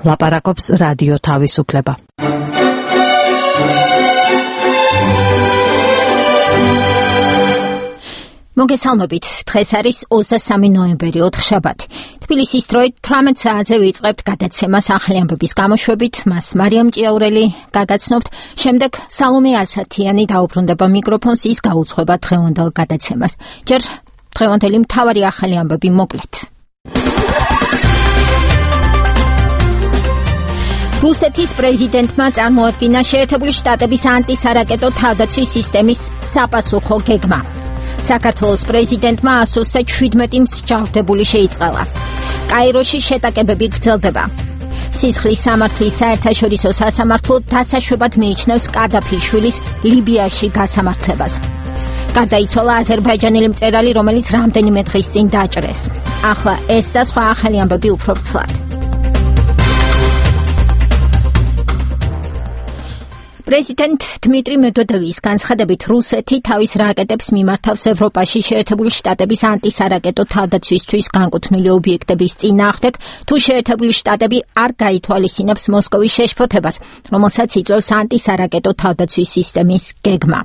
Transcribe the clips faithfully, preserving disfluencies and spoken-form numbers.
ლაპარაკობს რადიო თავისუფლება. მოგესალმებით, დღეს არის ოცდამესამე ნოემბერი, ოთხშაბათი. თბილისის დროით თვრამეტ საათზე ვიწყებთ გადაცემას ახალი ამბების გამოშვებით, მას მარიამ ჭიაურელი გაგაცნობთ, შემდეგ სალომე ასათიანი დაუბრუნდება მიკროფონს, ის გაუძღვება დღევანდელ გადაცემას. ჯერ დღევანდელი მთავარი ახალი ამბები მოკლედ. რუსეთის პრეზიდენტმა წარმოადგინა შეერთებული შტატების ანტისარაკეტო თავდაცვის სისტემის საპასუხო გეგმა. საქართველოს პრეზიდენტმა ასოსზე შვიდმეტი მსჯავრდებული შეიწყალა. კაიროში შეტაკებები გრძელდება. სისხლის სამართლის საერთაშორისო სასამართლო დასაშვებად მიიჩნევს კადაფიშვილის ლიბიაში გასამართლებას. გარდაიცვალა აზერბაიჯანელი მწერალი, რომელიც რამდენიმე დღის წინ დაჭრეს. ახლა ეს და სხვა ახალი ამბები უფრო ვრცლად. პრეზიდენტ დმიტრი მედვედევის განცხადებით, რუსეთი თავის რაკეტებს მიმართავს ევროპაში შეერთებული შტატების ანტისარაკეტო თავდაცვისთვის განკუთვნილი ობიექტების წინააღმდეგ, თუ შეერთებული შტატები არ გაითვალისწინებს მოსკოვის შეშფოთებას, რომელსაც იწვევს ანტისარაკეტო თავდაცვის სისტემის გეგმა.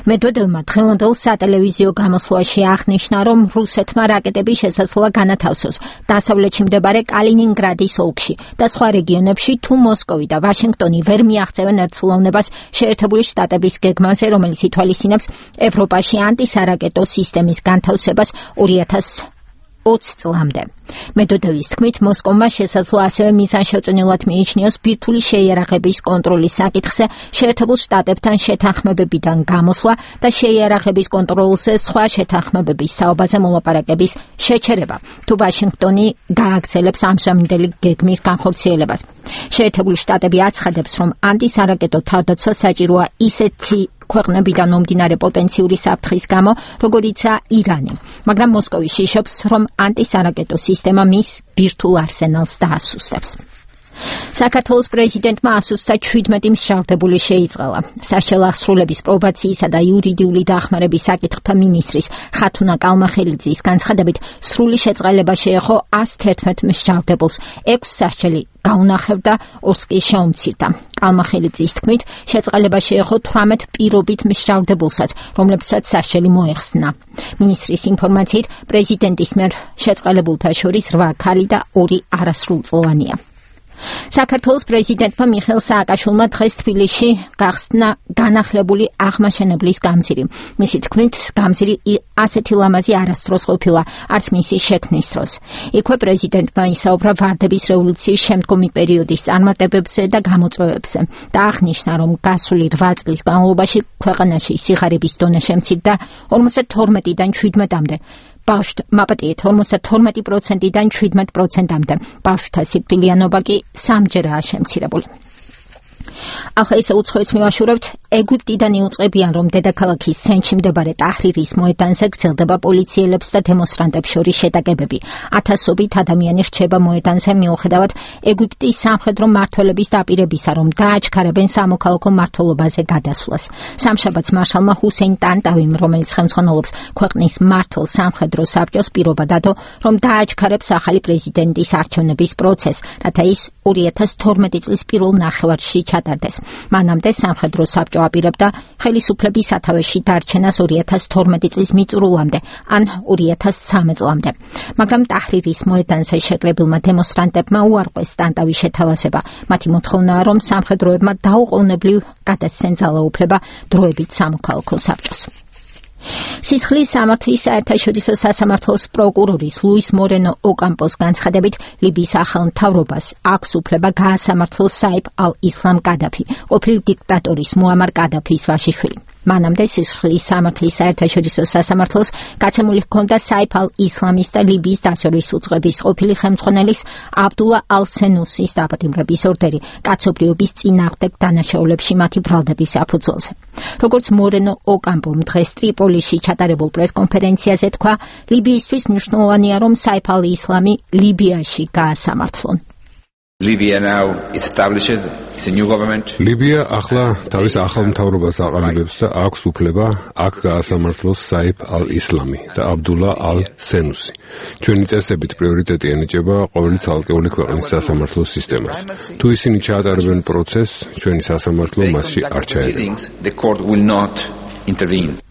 მედვედევმა დღევანდელ სატელევიზიო გამოსვლაში აღნიშნა, რომ რუსეთმა რაკეტები შესაძლოა განათავსოს დასავლეთში მდებარე კალინინგრადის ოლქში და სხვა რეგიონებში, თუ მოსკოვი და ვაშინგტონი ვერ მიაღწევენ ერთსულოვნებას შეერთებული შტატების გეგმაზე, რომელიც ითვალისწინებს ევროპაში ანტისარაკეტო სისტემის განთავსებას ორი ათას ოცი წლამდე. მედვედევის თქმით, მოსკოვმა შესაძლოა ასევე მიზანშეწონილად მიიჩნიოს ბირთვული შეიარაღების კონტროლის საკითხზე შეერთებულ შტატებთან შეთანხმებებიდან გამოსვლა და შეიარაღების კონტროლზე სხვა შეთანხმებების საუბაზე მოლაპარაკების შეჩერება, თუ ვაშინგტონი გააგრძელებს ამჟამინდელი გეგმის განხორციელებას. შეერთებული შტატები აცხადებს, რომ ანტისარაკეტო თავდაცვა საჭიროა ისეთი ქვეყნებიდან მომდინარე პოტენციური საფრთხის გამო, როგორიცაა ირანი, მაგრამ მოსკოვი შიშობს, რომ ანტისარაკეტო სისტემა მის ბირთვულ არსენალს დაასუსტებს. საქართველოს პრეზიდენტმა ასუსტა შვიდმეტი მსჯავრდებული შეიწყალა. საშუალო აღსრულების პრობაციისა და იურიდიული დახმარების საკითხთა მინისტრის ხათუნა კალმახელიძის განცხადებით, სრული შეწყალება შეეხო ას თერთმეტ მსჯავრდებულს, ექვს სასჯელი გაუნახევდა, ორს კი შეუმცირდა. კალმახელიძის თქმით, შეწყალება შეეხო თვრამეტ პირობით მსჯავრდებულსაც, რომლებსაც სასჯელი მოეხსნა. მინისტრის ინფორმაციით, პრეზიდენტის მიერ შეწყალებულთა შორის რვა ქალი და ორი არასრულწლოვანია. საქართველოს პრეზიდენტმა მიხეილ სააკაშვილმა დღეს თბილისში გახსნა განახლებული აღმაშენებლის გამზირი. მისი თქმით, გამზირი ასეთი ლამაზი არასდროს ყოფილა, არც მისი შექმნის დროს. იქვე პრეზიდენტმა ისაუბრა ვარდების რევოლუციის შემდგომი პერიოდის წარმატებებზე და გამოწვევებზე და აღნიშნა, რომ გასული რვა წლის განმავლობაში ქვეყანაში სიღარიბის დონე შემცირდა ორმოცდათორმეტიდან შვიდმეტამდე. ბავშვთა მაპატიეთ ორმოცდათორმეტი პროცენტიდან შვიდმეტ პროცენტამდე. ბავშვთა სიკვდილიანობა კი სამჯერაა შემცირებული. ახლა ისე უცხოეთს მივაშურებთ. ეგვიპტიდან იუწყებიან, რომ დედაქალაქის ცენტრში მდებარე ტაჰრირის მოედანზე გრძელდება პოლიციელებს და დემონსტრანტებს შორის შეტაკებები. ათასობით ადამიანი რჩება მოედანზე მიუხედავად ეგვიპტის სამხედრო მმართველების დაპირებისა, რომ დააჩქარებენ სამოქალაქო მმართველობაზე გადასვლას. სამშაბათს მარშალმა ჰუსეინ ტანტავიმ, რომელიც ხელმძღვანელობს ქვეყნის მმართველ სამხედრო საბჭოს, პირობა დადო, რომ დააჩქარებს ახალი პრეზიდენტის არჩევნების პროცესს, რათა ის ორი ათას თორმეტი წლის პირველ ნახევარში ჩატარდეს. მანამდე სამხედრო საბჭო აპირებდა ხელისუფლების სათავეში დარჩენას ორი ათას თორმეტი წლის მიწურულამდე ან ორი ათას ცხრამეტ წლამდე. მაგრამ ტაჰრირის მოედანზე შეკრებილმა დემონსტრანტებმა უარყვეს ტანტავის შეთავაზება. მათი მოთხოვნაა, რომ სამხედროებმა დაუყოვნებლივ გადასცენ ძალაუფლება დროებით სამოქალაქო საბჭოს. სისხლის სამართლის საერთაშორისო სასამართლოს პროკურორის ლუის მორენო ოკამპოს განცხადებით, ლიბიის ახალ მთავრობას აქვს უფლება გაასამართლოს საიფ ალ-ისლამ კადაფი, ყოფილი დიქტატორის მუამარ კადაფის ვაშიშვილი. მანამდე სისხლის სამართლის საერთაშორისო სასამართლოს გაცემული ჰქონდა საიფ ალ-ისლამის და ლიბიის დასვერის უწყების ყოფილი ხელმძღვანელის აბდულა ალ-სენუსის დაპატიმრების ორდერი კაცობრიობის წინააღმდეგ დანაშაულებში მათი ბრალდების საფუძველზე. როგორც მორენო ოკამპომ დღეს ტრიპოლიში ჩატარებულ პრესკონფერენციაზე თქვა, ლიბიისთვის მნიშვნელოვანია, რომ საიფ ალ-ისლამი ლიბიაში გაასამართლონ. Libya now is established, it's a new government. ლიბია ახლა თავის ახალ მთავრობას აყალიბებს და აქვს უფლება აქ გაასამართლოს საიფ ალ-ისლამი და აბდულა ალ-სენუსი. ჩვენი წესებით პრიორიტეტი ენიჭება ყოველი ცალკეული ქვეყნის სასამართლო სისტემას. თუ ისინი ჩაატარებენ პროცესს, ჩვენი სასამართლო მასში არ ჩაერევა. The court will not intervene.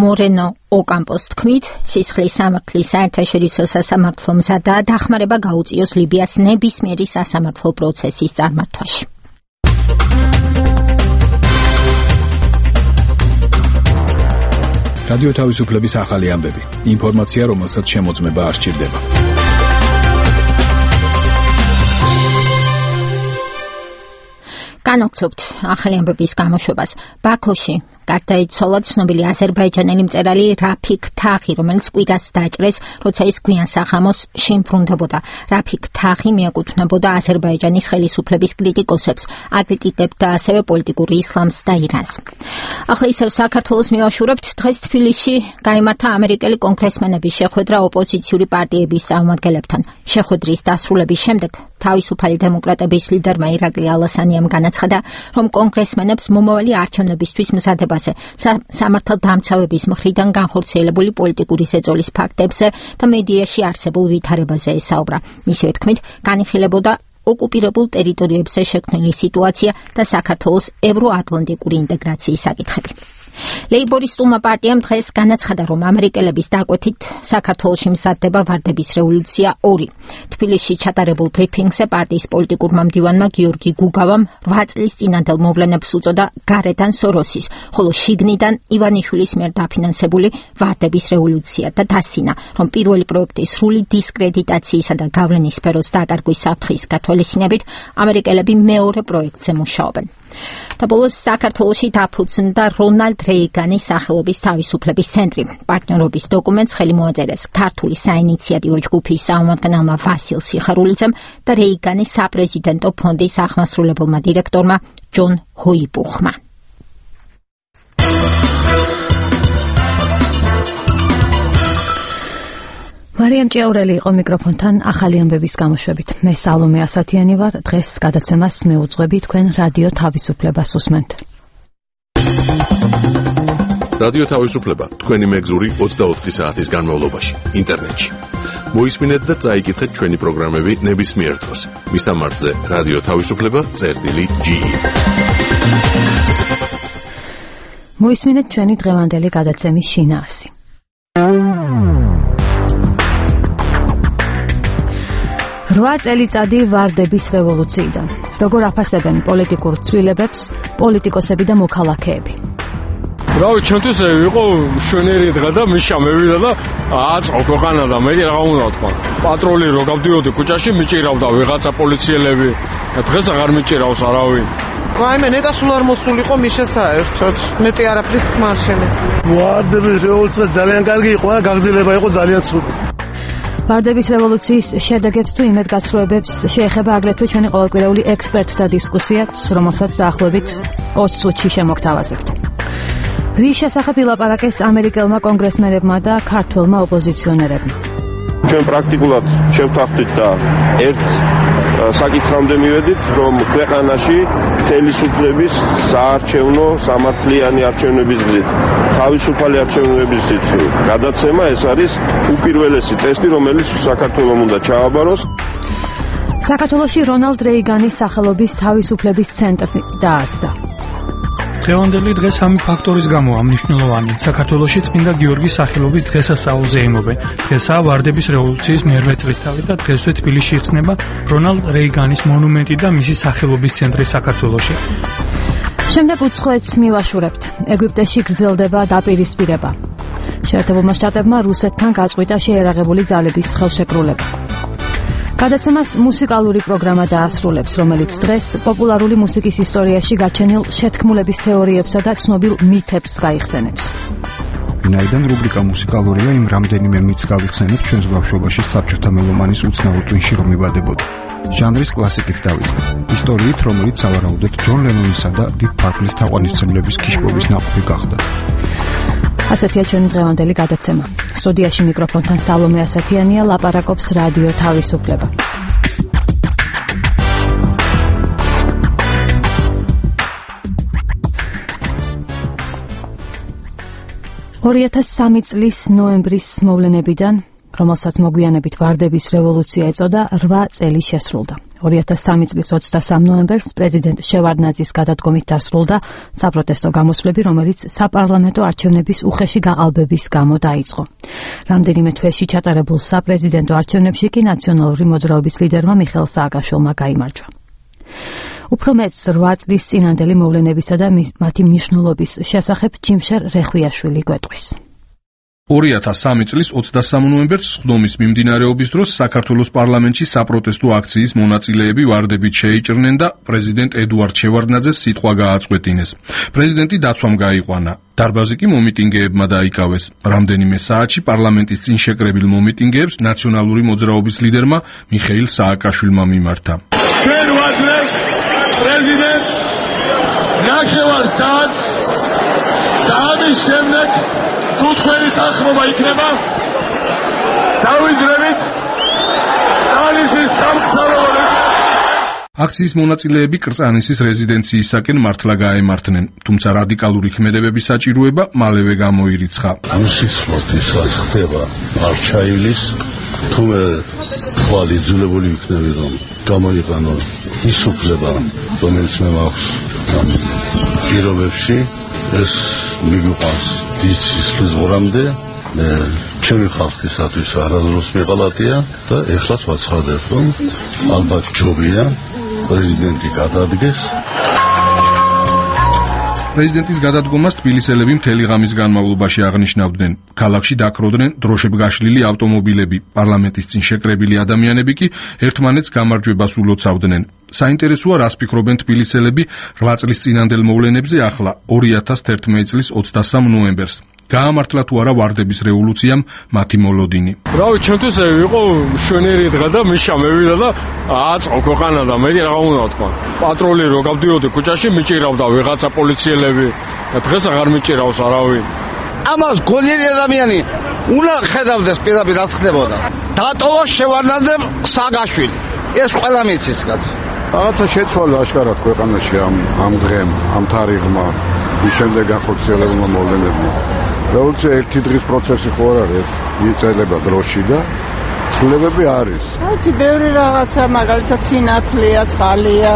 მორენო ოკამპოს თქმით, სისხლის სამართლის საერთაშორისო სასამართლო მზადაა დახმარება გაუწიოს ლიბიას ნებისმიერი სასამართლო პროცესის წარმართვაში. რადიო თავისუფლების ახალი ამბები. ინფორმაცია, რომელსაც შემოწმება არ სჭირდება. განვაგრძობთ ახალი ამბების გამოშვებას. ბაქოში გარდაიცვალა ცნობილი აზერბაიჯანელი მწერალი რაფიქ თაღი, რომელიც კვირას დაჭრეს, როცა ის გვიან სახამოს შინ ბრუნდებოდა. რაფიქ თაღი მიეკუთვნებოდა აზერბაიჯანის ხელისუფლების კრიტიკოსებს, აკრიტიკებდა ასევე პოლიტიკური ისლამს და ირანს. ახლა ისევ საქართველოს მივაშურებთ. დღეს თბილისში გაიმართა ამერიკელი კონგრესმენების შეხვედრა ოპოზიციური პარტიების წარმომადგენლებთან. შეხვედრის დასრულების შემდეგ თავისუფალი დემოკრატების ლიდერმა ირაკლი ალასანიამ განაცხადა, რომ კონგრესმენებს მომავალი არჩევნებისთვის მზადებას სამართალდამცავების მხრიდან განხორციელებული პოლიტიკური ზეწოლის ფაქტებზე და მედიაში არსებულ ვითარებაზე ესაუბრა. მისივე თქმით, განიხილებოდა ოკუპირებულ ტერიტორიებზე შექმნილი სიტუაცია და საქართველოს ევროატლანტიკური ინტეგრაციის საკითხები. ლეიბორისტულმა პარტიამ დღეს განაცხადა, რომ ამერიკელების დაკვეთით საქართველოში მზადდება ვარდების რევოლუცია ორი. თბილისში ჩატარებულ ბრიფინგზე პარტიის პოლიტიკურმა მდივანმა გიორგი გუგავამ რვა წლის წინანდელ მოვლენებს უწოდა გარედან სოროსის, ხოლო შიგნიდან ივანიშვილის მიერ დაფინანსებული ვარდების რევოლუცია და დასინა, რომ პირველი პროექტის სრული დისკრედიტაციისა და გავლენის სფეროს დაკარგვის საფრთხის გათვალისწინებით ამერიკელები მეორე პროექტზე მუშაობენ. და ბოლოს საქართველოში დაფუძნდა რონალდ რეიგანის სახელობის თავისუფლების ცენტრი. პარტნიორობის დოკუმენტს ხელი მოაწერეს ქართული საინიციატივო ჯგუფის წარმომადგენელმა ვასილ სიხარულიძემ და რეიგანის საპრეზიდენტო ფონდის აღმასრულებელმა დირექტორმა ჯონ ჰოიბუხმა. მარიამ ჭიაურელი იყო მიკროფონთან ახალი ამბების გამოშვებით. მე სალომე ასათიანი ვარ. დღეს გადაცემას მეუძღვები, თქვენ რადიო თავისუფლებას უსმენთ. რადიო თავისუფლება თქვენი მეგზური ოცდაოთხი საათის განმავლობაში ინტერნეტში. მოისმინეთ და წაიკითხეთ ჩვენი პროგრამები ნებისმიერ დროს. მისამართზე რადიო თავისუფლება წერტილი ჯი. მოისმინეთ ჩვენი დღევანდელი გადაცემის შინაარსი. რვა წელიწადი ვარდების რევოლუციიდან. როგორ აფასებენ პოლიტიკურ ცვლილებებს პოლიტიკოსები და მოქალაქეები. რავი, ჩვენთვის იყო შვენიერი დღე და მიშა მევიდა და აწყო ქვეყანა და მე რა უნდა ვთქვა. პატრული რო გავდიოდი ქუჩაში მიჭირავდა ვიღაცა პოლიციელები. დღეს აღარ მიჭირავს არავინ. ვაიმე, ნეტა სულ არ მოსულიყო მიშა საერთოდ. მეტი არაფრის თქმა არ შემეძლო. ვარდების რევოლუცია ძალიან კარგი იყო, გაგრძელება იყო ძალიან ცუდი. ვარდების რევოლუციის შედეგებს თუ იმედგაცრუებებს შეეხება აგრეთვე ჩვენი ყოველკვირეული ექსპერტთა დისკუსიაც, რომელსაც დაახლოებით ოცი წუთში შემოგთავაზებთ. რის შესახებ ილაპარაკეს ამერიკელმა კონგრესმენებმა და ქართველმა ოპოზიციონერებმა. ჩვენ პრაქტიკულად შევთანხმდით და ერთ საკითხამდე მივედით, რომ ქვეყანაში ხელისუფლების საარჩევნო სამართლიანი არჩევნების გზით, თავისუფალი არჩევნების გზით გადაცემა ეს არის უპირველესი ტესტი, რომელიც საქართველოს უნდა ჩააბაროს. საქართველოში რონალდ რეიგანის სახელობის თავისუფლების ცენტრი დაარსდა. დღევანდელი დღე სამი ფაქტორის გამო მნიშვნელოვანი. საქართველოში წმინდა გიორგის სახელობის დღესასწაულზე იმობენ. დღესაა ვარდების რევოლუციის მერვე წლისთავი და დღესვე თბილისში იხსნება რონალდ რეიგანის მონუმენტი და მისი სახელობის ცენტრი საქართველოში. შემდეგ უცხოეთს მივაშურებთ. ეგვიპტეში გრძელდება დაპირისპირება. შეერთებულმა შტატებმა რუსეთთან გაწყვიტა შეერაღებული ძალების ხელშეკრულება. გადაცემას მუსიკალური პროგრამა დაასრულებს, რომელიც დღეს პოპულარული მუსიკის ისტორიაში გაჩენილ შეთქმულების თეორიებსა და ცნობილ მითებს გაიხსენებს. ვინაიდან რუბრიკა მუსიკალურია, იმ რამდენიმე მითს გავიხსენებ ჩვენს ბავშვობაში საბჭოთა მელომანის უცნაურ ტვინში რომ იბადებოდა. ჟანრის კლასიკით დავიწყებ. ისტორიით, რომელიც სავარაუდოდ ჯონ ლენონისა და დიპ პარპლის თაყვანისმცემლების ქიშპობის ნაყოფი გახდა. ასეთია ჩვენი დღევანდელი გადაცემა. სტუდიაში მიკროფონთან სალომე ასათიანია, ლაპარაკობს რადიო თავისუფლება. ორი ათას სამი წლის ნოემბრის მოვლენებიდან, რომელსაც მოგვიანებით ვარდების რევოლუცია ეწოდა, რვა წელი შესრულდა. ორი ათას სამი წლის ოცდასამ ნოემბერს პრეზიდენტ შევარდნაძის გადადგომით დასრულდა საპროტესტო გამოსვლები, რომელიც საპარლამენტო არჩევნების უხეში გაყალბების გამო დაიწყო. რამდენიმე თვეში ჩატარებულ საპრეზიდენტო არჩევნებში კი ნაციონალური მოძრაობის ლიდერმა მიხეილ სააკაშვილმა გაიმარჯვა. უფრო მეც რვა წლის წინანდელი მოვლენებისა და მათი მნიშვნელობის შესახებ ჯიმშერ რეხვიაშვილი გვეტყვის. ორი ათას სამი წლის ოცდასამ ნოემბერს სხდომის მიმდინარეობის დროს საქართველოს პარლამენტში საპროტესტო აქციის მონაწილეები ვარდებით შეიჭრნენ და პრეზიდენტ ედუარდ შევარდნაძეს სიტყვა გააწყვეტინეს. პრეზიდენტი დაცვამ გაიყვანა. დარბაზი კი მომიტინგეებმა დაიკავეს. რამდენიმე საათში პარლამენტის წინ შეკრებილ მომიტინგეებს ნაციონალური მოძრაობის ლიდერმა მიხეილ სააკაშვილმა მიმართა. ჩვენ ვაძლევთ პრეზიდენტს ნახევარ საათს და ამის შემდეგ თუ თქვენი თანხმობა იქნება, დავიძრებით თალიშის სამთავროებს. აქციის მონაწილეები კრწანისის რეზიდენციისაკენ მართლა გაემართნენ, თუმცა რადიკალური ქმედებების საჭიროება მალევე გამოირიცხა. ამ სიტყვით რაც ხდება არჩაილის, თუმე თვალი ძულებული იქნები, რომ გამოიყენო ის უფლება, რომელიც მე მაქვს ამ პირობებში, ეს მიგვიყვანს დიცის ზღვრამდე, ჩემი ხალხისათვის არასდროს მიყალატია და ეხლაც ვაცხადებ, რომ ალბათ ჯობია პრეზიდენტი გადადგეს. პრეზიდენტის გადადგომას თბილისელები მთელი ღამის განმავლობაში აღნიშნავდნენ. ქალაქში დაქროდნენ დროშებგაშლილი ავტომობილები, პარლამენტის წინ შეკრებილი ადამიანები კი ერთმანეთს გამარჯვებას ულოცავდნენ. საინტერესოა, რას ფიქრობენ თბილისელები რვა წლის წინანდელ მოვლენებზე ახლა, ორი ათას თერთმეტი წლის ოცდასამ ნოემბერს. გაამართლა თუ არა ვარდების რევოლუციამ მათი მოლოდინი. რავი, ჩვენთვის იყო შვენიერი დღე და მიშა მევიდა და აწყო ქვეყანა და მე რა უნდა თქვა. პატრული რო გავდიოდი ქუჩაში, მიჭირავდა ვიღაცა პოლიციელები. დღეს აღარ მიჭირავს არავინ. ამას გონიერი ადამიანი უნდა ხედავდეს პირდაპირ რაც ხდებოდა. დატოვა შევარდნაძემ სააკაშვილი. ეს ყველა მიცის კაც. რაღაცა შეცვალა აშკარად ქვეყანაში ამ ამ დღემ, ამ თარიღმა, ის შემდეგ განხორციელებულმა მოვლენებმა. რევოლუცია ერთი დღის პროცესი ხო არ არის, იწელება დროში და ცვლილებები არის. რაც ბევრი რაღაცა, მაგალითად სინათლეა, წყალია.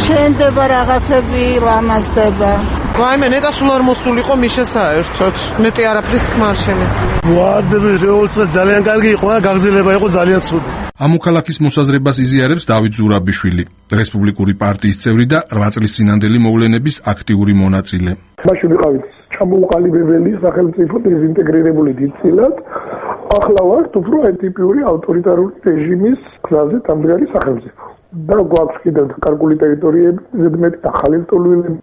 შენდება რაღაცები, ლამაზდება. ვაიმე, ნეტა სულ არ მოსულიყო მიშა საერთოდ. მეტი არაფრის თქმა არ შემეძლო. ვარდების რევოლუცია ძალიან კარგი იყო და გაგრძელება იყო ძალიან ცუდი. ამ მოქალაქის მოსაზრებას იზიარებს დავით ზურაბიშვილი, რესპუბლიკური პარტიის წევრი და რვა წლის წინანდელი მოვლენების აქტიური მონაწილე. მაშინ ვიყავით ჩამოუყალიბებელი სახელმწიფო დეზინტეგრირებული დიდწილად. ახლა ვართ უფრო ტიპიური ავტორიტარული რეჟიმის გზაზე დამდგარი სახელმწიფო. და გვაქვს კიდევ კარგული ტერიტორიები, ზედმეტი ახალი რტოლვილები,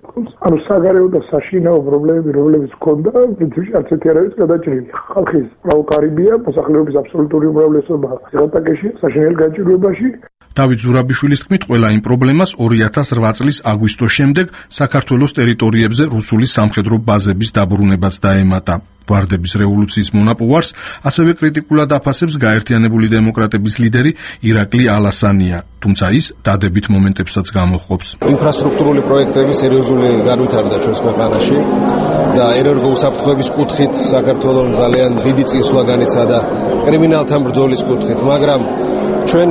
ანუ საგარეო და საშინაო პრობლემები, რომლებიც ჰქონდა, პრინციპში არც ერთი არ არის გადაჭრილი. ხალხის პროვოკარიბია, მოსახლეობის აბსოლუტური უმრავლესობა ზღატაკეში, საშინელ გაჭირვებაში. დავით ზურაბიშვილის თქმით, ყველა იმ პრობლემას ორი ათას რვა წლის აგვისტოს შემდეგ საქართველოს ტერიტორიებზე რუსული სამხედრო ბაზების დაბრუნებაც დაემატა. ვარდების რევოლუციის მონაპოვარს ასევე კრიტიკულად აფასებს გაერთიანებული დემოკრატების ლიდერი ირაკლი ალასანია, თუმცა ის დადებით მომენტებსაც გამოჰყოფს. ინფრასტრუქტურული პროექტების სერიოზული განვითარდა ჩვენს ქვეყანაში და ენერგოუსაფრთხოების კუთხით საქართველოს ძალიან დიდი წინსვლა განიცადა კრიმინალთან ბრძოლის კუთხით, მაგრამ ჩვენ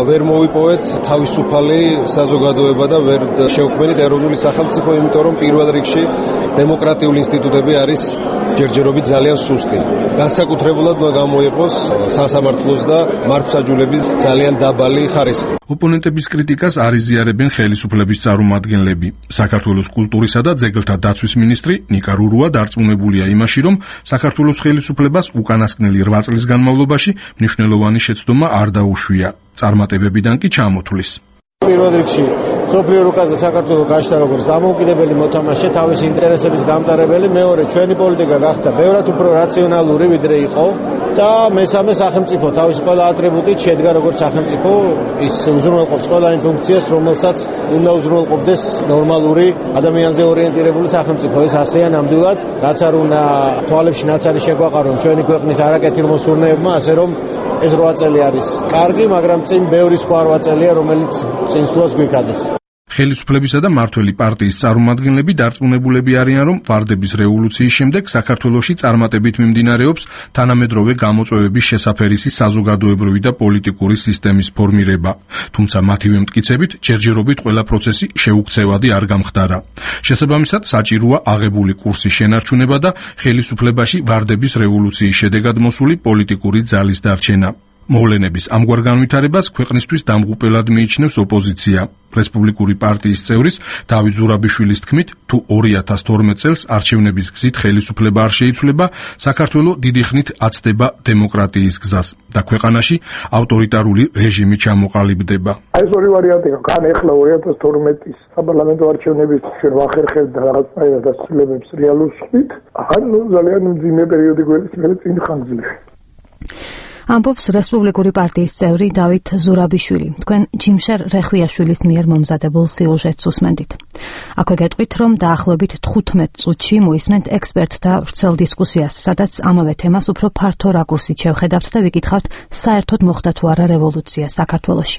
ვერ მოვიპოვეთ თავისუფალი საზოგადოება და ვერ შევქმნით ეროვნული სახელმწიფო, იმიტომ რომ პირველ რიგში დემოკრატიული ინსტიტუტები არის ჯერჯერობით ძალიან სუსტი. განსაკუთრებულად გამოიყოს სასამართლოს და მართლმსაჯულების ძალიან დაბალი ხარისხი. ოპონენტების კრიტიკას არ იზიარებენ ხელისუფლების წარმომადგენლები. საქართველოს კულტურისა და ძეგლთა დაცვის მინისტრი ნიკა რურუა დარწმუნებულია იმაში, რომ საქართველოს ხელისუფლებას უკანასკნელი რვა წლის განმავლობაში მნიშვნელოვანი შეცდომა არ დაუშვია. წარმატებებიდან კი ჩამოთვლის. პირველ რიგში სოფლიო რუკაზე საქართველოს გაშთა როგორც დამოუკიდებელი მოთამაშე, თავის ინტერესების გამტარებელი, მეორე ჩვენი პოლიტიკა გახდა ბევრად უფრო რაციონალური ვიდრე იყო და მესამე სახელმწიფო თავის ყველა ატრიბუტით შედგა როგორც სახელმწიფო, ის უზრუნველყოფს ყველა იმ ფუნქციას, რომელსაც უნდა უზრუნველყოფდეს ნორმალური ადამიანზე ორიენტირებული სახელმწიფო. ეს ასეა ნამდვილად, რაც არ უნდა თვალებში ნაცარი შეგვაყარონ ჩვენი ქვეყნის არაკეთილმოსურნეებმა, ასე რომ ეს რვა წელი არის კარგი, მაგრამ წინ ბევრი სხვა რვა წელია, რომელიც წინსვლას გვიქადეს. ხელისუფლებისა და მმართველი პარტიის წარმომადგენლები დარწმუნებულები არიან, რომ ვარდების რევოლუციის შემდეგ საქართველოში წარმატებით მიმდინარეობს თანამედროვე გამოწვევების შესაფერისი საზოგადოებრივი და პოლიტიკური სისტემის ფორმირება. თუმცა მათივე მტკიცებით, ჯერჯერობით ყველა პროცესი შეუქცევადი არ გამხდარა. შესაბამისად, საჭიროა აღებული კურსის შენარჩუნება და ხელისუფლებაში ვარდების რევოლუციის შედეგად მოსული პოლიტიკური ძალის დარჩენა. მოვლენების ამგვარ განვითარებას ქვეყნისთვის დამღუპელად მიიჩნევს ოპოზიცია. რესპუბლიკური პარტიის წევრის დავით ზურაბიშვილის თქმით, თუ ორი ათას თორმეტ წელს არჩევნების გზით ხელისუფლება არ შეიცვლება, საქართველო დიდი ხნით აცდება დემოკრატიის გზას და ქვეყანაში ავტორიტარული რეჟიმი ჩამოყალიბდება. აი ეს ორი ვარიანტია. კან ეხლა ორი ათას თორმეტის საპარლამენტო არჩევნების ჩვენ ვახერხებთ და რაღაცნაირად დასრულებებს რეალურს ხვით, ან ძალიან მძიმე პერიოდი გვეცილებს წინ ხანგრძლივი. ამბობს რესპუბლიკური პარტიის წევრი დავით ზურაბიშვილი. თქვენ ჯიმშერ რეხვიაშვილის მიერ მომზადებულ სიუჟეტს უსმენდით. აქვე გეტყვით, რომ დაახლოებით თხუთმეტ წუთში მოისმენთ ექსპერტთა ვრცელ დისკუსიას, სადაც ამავე თემას უფრო ფართო რაკურსით შევხედავთ და ვიკითხავთ, საერთოდ მოხდა თუ არა რევოლუცია საქართველოში.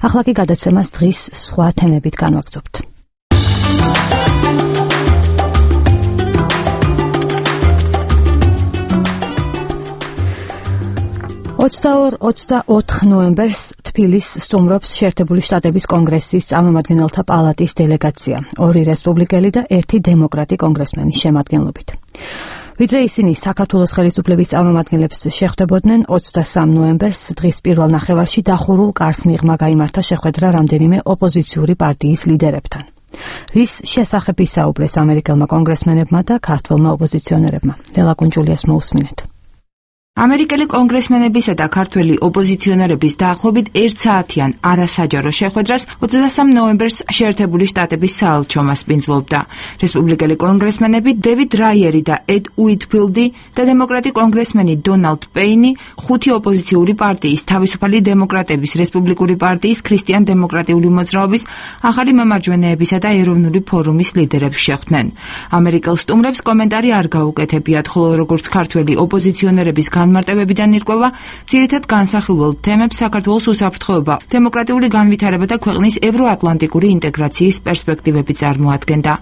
ახლა კი გადაცემას დღის სხვა თემებით განვაგრძობთ. ოცდაოთხ ნოემბერს თბილისს სტუმრობს შეერთებული შტატების კონგრესის წარმომადგენელთა პალატის დელეგაცია, ორი რესპუბლიკელი და ერთი დემოკრატი კონგრესმენის შემადგენლობით. ვიდრე ისინი საქართველოს ხელისუფლების წარმომადგენლებს შეხვდებოდნენ, ოცდასამ ნოემბერს დღის პირველ ნახევარში დახურულ კარს მიღმა გაიმართა შეხვედრა რამდენიმე ოპოზიციური პარტიის ლიდერებთან. რის შესახებ ისაუბრეს ამერიკელმა კონგრესმენებმა და ქართველმა ოპოზიციონერებმა. ლელა კუნჯულიას მოусმინეთ. ამერიკელი კონგრესმენებისა და ქართველი ოპოზიციონერების დაახლოებით ერთ საათიან არასაჯარო შეხვედრას ოცდასამ ნოემბერს შეერთებული შტატების საელჩო მასპინძლობდა. რესპუბლიკელი კონგრესმენები დევიდ რაიერი და ედ უიტფილდი და დემოკრატი კონგრესმენი დონალდ პეინი ხუთი ოპოზიციური პარტიის, თავისუფალი დემოკრატების, რესპუბლიკური პარტიის, ქრისტიან დემოკრატიული მოძრაობის, ახალი მემარჯვენეებისა და ეროვნული ფორუმის ლიდერებს შეხვდნენ. ამერიკელ სტუმრებს კომენტარი არ გაუკეთებიათ, ხოლო როგორც ქართველი ოპოზიციონერების განმარტებებიდან ირკვევა, ძირითად განსახილველ თემებს საქართველოს უსაფრთხოება, დემოკრატიული განვითარება და ქვეყნის ევროატლანტიკური ინტეგრაციის პერსპექტივები წარმოადგენდა.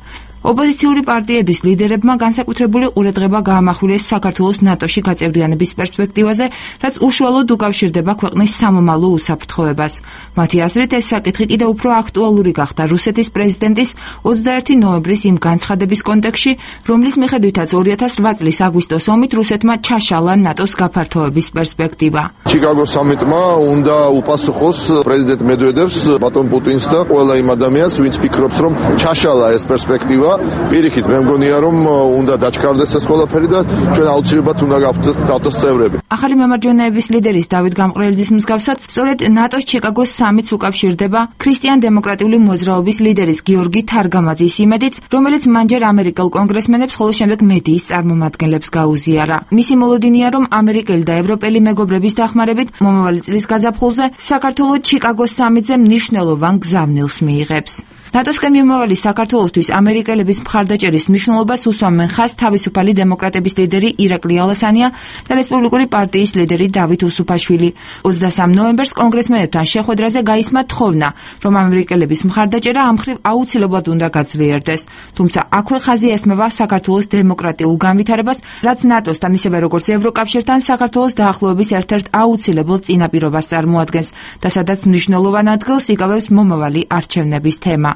ოპოზიციური პარტიების ლიდერებმა განსაკუთრებული ყურადღება გაამახვილეს საქართველოს ნატოში გაწევრიანების პერსპექტივაზე, რაც უშუალოდ უკავშირდება ქვეყნის სამომავლო უსაფრთხოებას. მათი აზრით, ეს საკითხი კიდევ უფრო აქტუალური გახდა რუსეთის პრეზიდენტის ოცდაერთი ნოემბრის იმ განცხადების კონტექსტში, რომლის მიხედვითაც ორი ათას რვა წლის აგვისტოს ომით რუსეთმა ჩაშალა ნატოს გაფართოების პერსპექტივა. ჩიკაგოს სამიტმა უნდა უპასუხოს პრეზიდენტ მედვედევს, ბატონ პუტინს და ყველა იმ ადამიანს, ვინც ფიქრობს, რომ ჩაშალა ეს პერსპექტივა. პირიქით, მე მგონია, რომ უნდა დაჩქარდეს ეს ყველაფერი და ჩვენ აუცილებლად უნდა გავხდეთ წევრები. ახალი მემარჯვენეების ლიდერის დავით გამყრელიძის მსგავსად, სწორედ ნატოს ჩიკაგოს სამიტს უკავშირდება ქრისტიან დემოკრატიული მოძრაობის ლიდერის გიორგი თარგამაძის იმედით, რომელიც მანჯერ ამერიკელ კონგრესმენებს, ხოლო შემდეგ მედიის წარმომადგენლებს გაუზიარა. მისი მოლოდინია, რომ ამერიკელი და ევროპელი მეგობრების დახმარებით მომავალი წლის გაზაფხულზე საქართველოს ჩიკაგოს სამიტზე მნიშვნელოვან გზავნილს მიიღებს. ნატოსკენ მიმავალი საქართველოსთვის ამერიკელების მხარდაჭერის მნიშვნელობას უსვამენ ხაზს თავისუფალი დემოკრატების ლიდერი ირაკლი ალასანია და რესპუბლიკური პარტიის ლიდერი დავით უსუფაშვილი. ოცდასამ ნოემბერს კონგრესმენებთან შეხვედრაზე გაისმა თხოვნა, რომ ამერიკელების მხარდაჭერა ამ მხრივ აუცილებლად უნდა გაძლიერდეს. თუმცა აქვე ხაზი ესმევა საქართველოს დემოკრატიულ განვითარებას, რაც ნატოსთან ისევე როგორც ევროკავშირთან საქართველოს დაახლოების ერთ-ერთ აუცილებელ წინაპირობას წარმოადგენს და სადაც მნიშვნელოვან ადგილს იკავებს მომავალი არჩევნების თემა.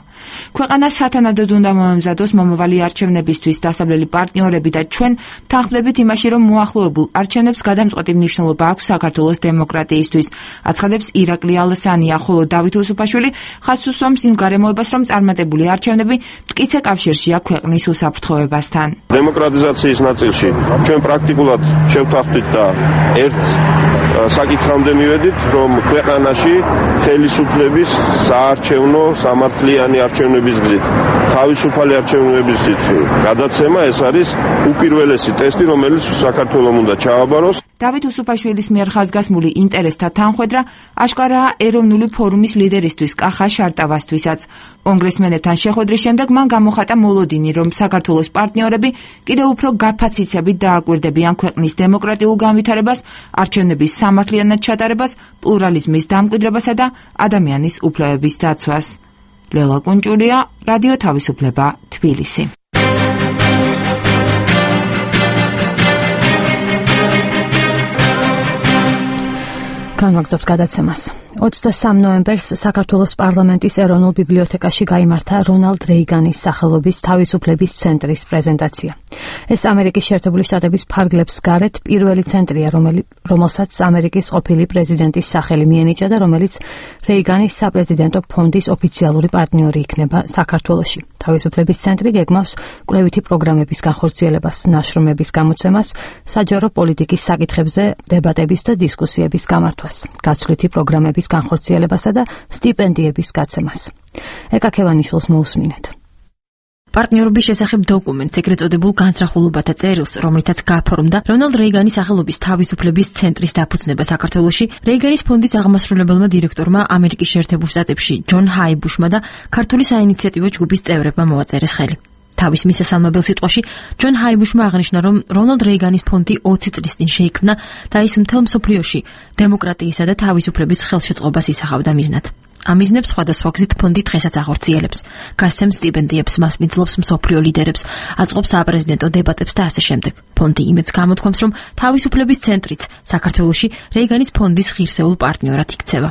ქვეყანა სათანადოდ უნდა მოემზადოს მომავალი არჩევნებისთვის დასავლელი პარტნიორები და ჩვენ თანხმდებით იმაში, რომ მოახლოებულ არჩევნებს გადამწყვეტი მნიშვნელობა აქვს საქართველოს დემოკრატიისთვის, აცხადებს ირაკლი ალასანია, ხოლო დავით უსუფაშვილი ხაზს უსვამს იმ გარემოებას, რომ წარმატებული არჩევნები მტკიცე კავშირშია ქვეყნის უსაფრთხოებასთან. დემოკრატიზაციის ნაწილში ჩვენ პრაქტიკულად შევთანხმდით და ერთ საკითხამდე მივედით, რომ ქვეყანაში ხელისუფლების საარჩევნო სამართლიანი არჩევნების გზით, თავისუფალი არჩევნების გზით გადაცემა ეს არის უპირველესი ტესტი, რომელიც საქართველოს უნდა ჩააბაროს. დავით უსუფაშვილის მიერ ხაზგასმული ინტერესთა თანხვედრა აშკარაა ეროვნული ფორუმის ლიდერისთვის კახა შარტავასთვისაც. კონგრესმენებთან შეხვედრის შემდეგ მან გამოხატა მოლოდინი, რომ საქართველოს პარტნიორები კიდევ უფრო გაფაციცებით დააკვირდებიან ქვეყნის დემოკრატიულ განვითარებას, არჩევნების სამართლიანად ჩატარებას, პლურალიზმის დამკვიდრებასა და ადამიანის უფლებების დაცვას. ლელა კუნჭურია, რადიო თავისუფლება, თბილისი. განვაგრძობთ გადაცემას. ოცდასამ ნოემბერს საქართველოს პარლამენტის ეროვნულ ბიბლიოთეკაში გაიმართა რონალდ რეიგანის სახელობის თავისუფლების ცენტრის პრეზენტაცია. ეს ამერიკის შეერთებული შტატების ფარგლებს გარეთ პირველი ცენტრია, რომელსაც ამერიკის ყოფილი პრეზიდენტის სახელი მიენიჭა და რომელიც რეიგანის საპრეზიდენტო ფონდის ოფიციალური პარტნიორი იქნება საქართველოში. თავისუფლების ცენტრი გეგმავს კვლევითი პროგრამების განხორციელებას, ნაშრომების გამოცემას, საჯარო პოლიტიკის საკითხებზე დებატების და დისკუსიების გამართვას, გაცვლითი პროგრამების განხორციელებასა და სტიპენდიების გაცემას. ეკა ქევანიშვილს მოусმინეთ. პარტნიორობის შესახებ დოკუმენტს, ეგრეთ წოდებულ განსახულობათა წერილს, რომლითაც გაფორმდა რონალდ რეიგანის სახელობის თავისუფლების ცენტრის დაფუძნება საქართველოში, რეიგანის ფონდის აღმასრულებელმა დირექტორმა ამერიკის შეერთებულ შტატებში ჯონ ჰაიბუშმა და ქართული საინიციატივო ჯგუფის წევრებმა მოაწერეს ხელი. თავის მისასალმებელ სიტყვაში ჯონ ჰაიბუშმა აღნიშნა, რომ რონალდ რეიგანის ფონდი ოცი წლის წინ შეიქმნა და ის მთელ მსოფლიოში დემოკრატიისა და თავისუფლების ხელშეწყობას ისახავდა მიზნად. ამ მიზნებს სხვადასხვა გზით ფონდი დღესაც აღორძიელებს, გასცემს სტიპენდიებს, მასპინძლობს მსოფლიო ლიდერებს, აწყობს საპრეზიდენტო დებატებს და ასე შემდეგ. ფონდი იმედს გამოთქვამს, რომ თავისუფლების ცენტრიც საქართველოში რეიგანის ფონდის ღირსეულ პარტნიორად იქცევა.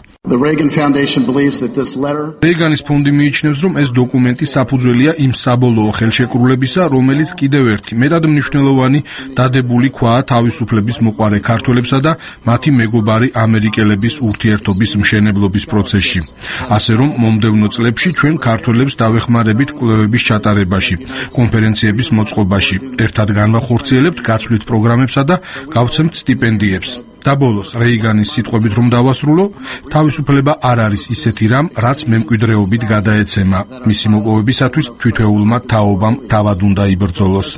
რეიგანის ფონდი მიიჩნევს, რომ ეს დოკუმენტი საფუძველია იმ საბოლოო ხელშეკრულებისა, რომელიც კიდევ ერთი მეტად მნიშვნელოვანი დადებული ქვაა თავისუფლების მოყვარე ქართველებსა და მათი მეგობარი ამერიკელების ურთიერთობის მშენებლობის პროცესში. ასე რომ მომდევნო წლებში ჩვენ ქართველებს დავეხმარებით კვლევების ჩატარებაში, კონფერენციების მოწყობაში, ერთად განვახორციელებთ გაცვლით პროგრამებსა და გავცემთ სტიპენდიებს. და ბოლოს რეიგანის სიტყვებით რომ დავასრულო, თავისუფლება არ არის ისეთი რამ, რაც მემკვიდრეობით გადაეცემა. მისი მოპოვებისათვის თითოეულმა თაობამ თავად უნდა იბრძოლოს.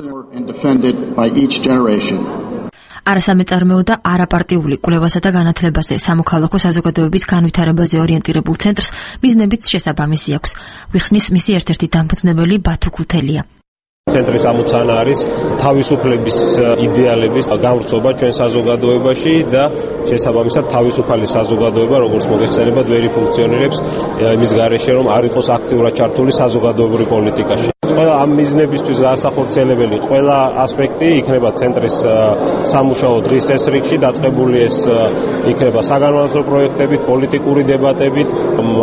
არასამეწარმეო და არაპარტიული კვლევასა და განათლებაზე, სამოქალაქო საზოგადოების განვითარებაზე ორიენტირებულ ცენტრს მიზნებიც შესაბამისი აქვს. ვიხსნის მისი ერთ-ერთი დამფუძნებელი ბათუ ქუთელია. ცენტრის ამოცანა არის თავისუფლების იდეალების გამვრცობა ჩვენ საზოგადოებაში და შესაბამისად თავისუფალი საზოგადოება, როგორც მოგეხსენებათ, ვერ ფუნქციონირებს იმის გარეშე, რომ არ იყოს აქტიურად ჩართული საზოგადოებრივ პოლიტიკაში. ყველა ამ მიზნებისთვის განსახორციელებელი ყველა ასპექტი იქნება ცენტრის სამუშაო დღის წესრიგში დაწყებული, ეს იქნება საგანმანათლებლო პროექტებით, პოლიტიკური დებატებით,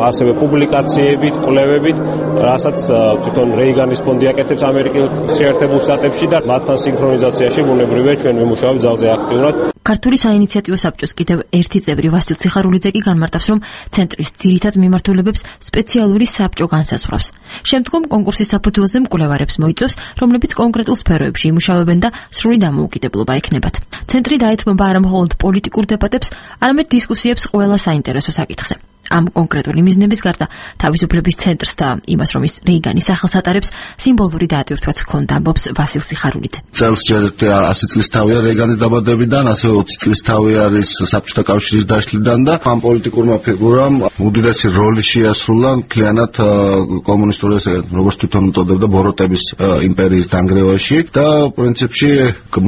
ასევე პუბლიკაციებით, კვლევებით, რასაც თვითონ რეიგანის ფონდი აკეთებს ამერიკის შეერთებულ შტატებში და მათთან სინქრონიზაციაში ბუნებრივია ჩვენ ვიმუშავებთ ძალზე აქტიურად. ქართული საინიციატივო საბჭოს კიდევ ერთი წევრი ვასილ ციხარულიძე კი განმარტავს, რომ ცენტრის ძირითად მიმართულებებს სპეციალური საბჭო განსაზღვრავს. შემდგომ კონკურსის საფუძველზე მკვლევარებს მოიწვევს, რომლებიც კონკრეტულ სფეროებში იმუშავებენ და სრული დამოუკიდებლობა ექნებათ. ცენტრი დაეთმობა არა მხოლოდ პოლიტიკურ დებატებს, არამედ დისკუსიებს ყველა საინტერესო საკითხზე. ამ კონკრეტული მიზნების გარდა თავისუფლების ცენტრს და იმას, რომ ის რეიგანის სახელს ატარებს, სიმბოლური დაატვირთვაც ჰქონდა, ამბობს ვასილ ციხარულიძე. წელს ჯერ ასი წლის თავია რეიგანის დაბადებიდან, ასევე ოცი წლის თავი არის საბჭოთა კავშირის დაშლიდან და ამ პოლიტიკურმა ფიგურამ უდიდესი როლი შეასრულა მთლიანად კომუნისტური, როგორც თვითონ უწოდებდა, ბოროტების იმპერიის დანგრევაში და პრინციპში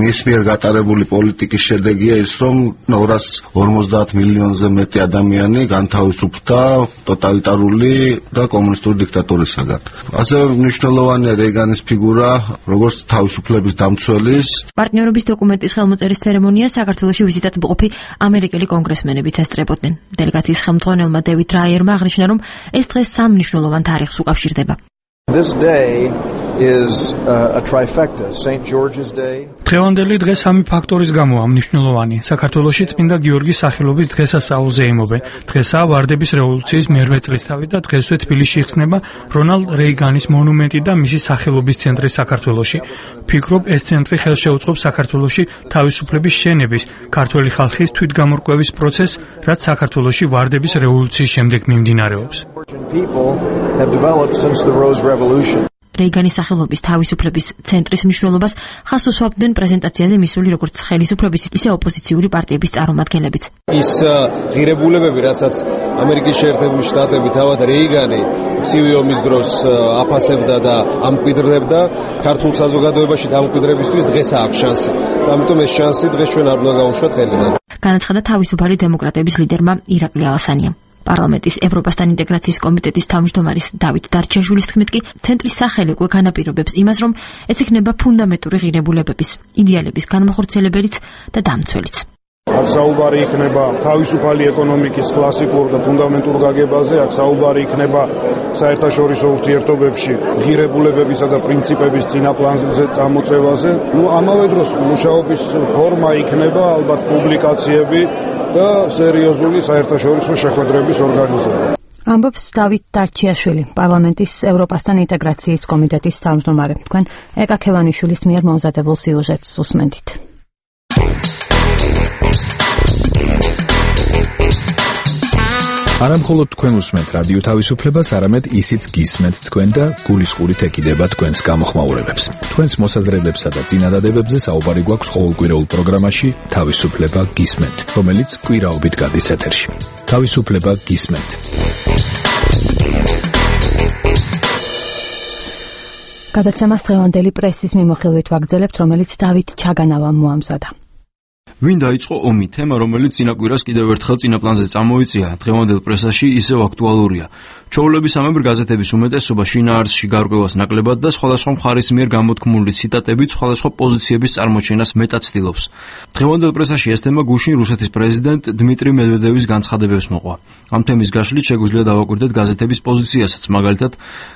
მის მიერ გატარებული პოლიტიკის შედეგია ის, რომ ორას ორმოცდაათ მილიონზე მეტი ადამიანი განთავისუფლდა ტოტალიტარული და კომუნისტური დიქტატურისაგან. ასევე მნიშვნელოვანია რეიგანის ფიგურა, როგორც თავისუფლების დამცველის. პარტნიორობის დოკუმენტის ხელმოწერის ცერემონია საქართველოში ვიზიტად მყოფი ამერიკელი კონგრესმენებიც ესწრებოდნენ. დელეგაციის ხელმძღვანელმა დევიდ რაიერმა აღნიშნა, რომ ეს დღე სამ მნიშვნელოვან თარიღს უკავშირდება. This day is uh, a trifecta, Saint George's Day. დღევანდელი დღე სამი ფაქტორის გამო მნიშვნელოვანი. საქართველოში წმინდა გიორგის სახელობის დღესასწაულზე იმობენ. დღესაა ვარდების რევოლუციის მერვე წლისთავი და დღესვე თბილისში იხსნება რონალდ რეიგანის მონუმენტი და მისი სახელობის ცენტრი საქართველოში. ფიქრობ, ეს ცენტრი ხელშეუწყობს საქართველოში თავისუფლების შენების, ქართველი ხალხის თვითგამორკვევის პროცესს, რაც საქართველოში ვარდების რევოლუციის შემდეგ მიმდინარეობს. რეიგანის სახელობის თავისუფლების ცენტრის მნიშვნელობას ხაზს უსვამდნენ პრეზენტაციაზე მისული როგორც ხელისუფლების, ისე ოპოზიციური პარტიების წარმომადგენლებიც. ის ღირებულებები, რასაც ამერიკის შეერთებული შტატები თავად რეიგანი ცივი ომის დროს აფასებდა და ამკვიდრდებდა, ქართულ საზოგადოებაში დამკვიდრებისთვის დღეს აქვს შანსი. ამიტომ ეს შანსი დღეს ჩვენ არ უნდა გავუშვათ ხელიდან. განაცხადა თავისუფალი დემოკრატების ლიდერმა ირაკლი ალასანიამ. პარლამენტის ევროპასთან ინტეგრაციის კომიტეტის თავმჯდომარის დავით დარჩაშვილის თქმით კი ცენტრის სახელი უკვე განაპირობებს იმას, რომ ეს იქნება ფუნდამენტური ღირებულებების, იდეალების განმახორციელებელიც და დამცველიც. აქ საუბარი იქნება თავისუფალი ეკონომიკის კლასიკურ და ფუნდამენტურ გაგებაზე, აქ საუბარი იქნება საერთაშორისო ურთიერთობებში ღირებულებებისა და პრინციპების წინაპლანზე წამოწევაზე. ნუ ამავე დროს მუშაობის ფორმა იქნება ალბათ პუბლიკაციები და სერიოზული საერთაშორისო შეხვედრების ორგანიზება. ამბობს დავით დარჩიაშვილი, პარლამენტის ევროპასთან ინტეგრაციის კომიტეტის თავმჯდომარე. თქვენ ეკა ქევანიშვილის მიერ მომზადებულ სიუჟეტს უსმენთ. არა მხოლოდ თქვენ უსმენთ რადიო თავისუფლებას, არამედ ისიც გისმენთ თქვენ და გულისყურით ეკიდება თქვენს გამოხმაურებებს. თქვენს მოსაზრებებსა და წინადადებებზე საუბარი გვაქვს ყოველკვირეულ პროგრამაში თავისუფლება გისმენთ, რომელიც კვირაობით გადის ეთერში. თავისუფლება გისმენთ. გადაცემას დღევანდელი პრესის მიმოხილვით ვაგრძელებთ, რომელიც დავით ჩაგანავამ მოამზადა. ვინ დაიწყო ომი? თემა, რომელიც წინაკვირას კიდევ ერთხელ წინაპლანზე წამოიწია, დღევანდელ პრესაში ისევ აქტუალურია. ჩვეულების ამებრ გაზეთების უმეტესობა შინაარსში გარკვევას ნაკლებად და სხვადასხვა მხარის მიერ გამოთქმული ციტატებით სხვადასხვა პოზიციების წარმოჩენას მეტად ცდილობს. დღევანდელ პრესაში ეს თემა გუშინ რუსეთის პრეზიდენტ დმიტრი მედვედევის განცხადებებს მოყვა. ამ თემის გაშლით შეგვიძლია დავაკვირდეთ გაზეთების პოზიციასაც. მაგალითად,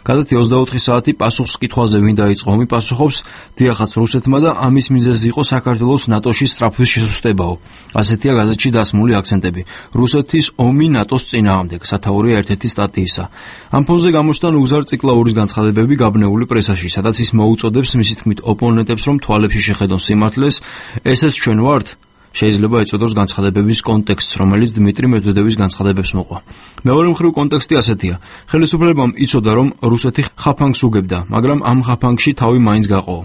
გაზეთი ოცდაოთხი საათი პასუხს კითხვაზე ვინ დაიწყო ომი პასუხობს: დიახაც რუსეთმა და ამის მიზეზი იყო საქართველოს ნატოში სწრაფვის შესუსტებაო. ასეთია გაზეთში დასმული აქცენტები. რუსეთის ომი ნატოს წინააღმდეგ, სათაურია ერთ-ერთი სტატიისა. ამ ფონზე გამოჩნდა ნუგზარ ციკლაურის განცხადებები გაბნეული პრესაში, სადაც ის მოუწოდებს მისი თქმით ოპონენტებს, რომ თვალებში შეხედონ სიმართლეს. ესეც ჩვენ ვართ? შეიძლება ეწოდოს განცხადებების კონტექსტს, რომელიც დმიტრი მედვედევის განცხადებებს მოყვა. მეორე მხრივ კონტექსტი ასეთია: ხელისუფლებამ იცოდა, რომ რუსეთი ხაფანგს უგებდა, მაგრამ ამ ხაფანგში თავი მაინც გაყო.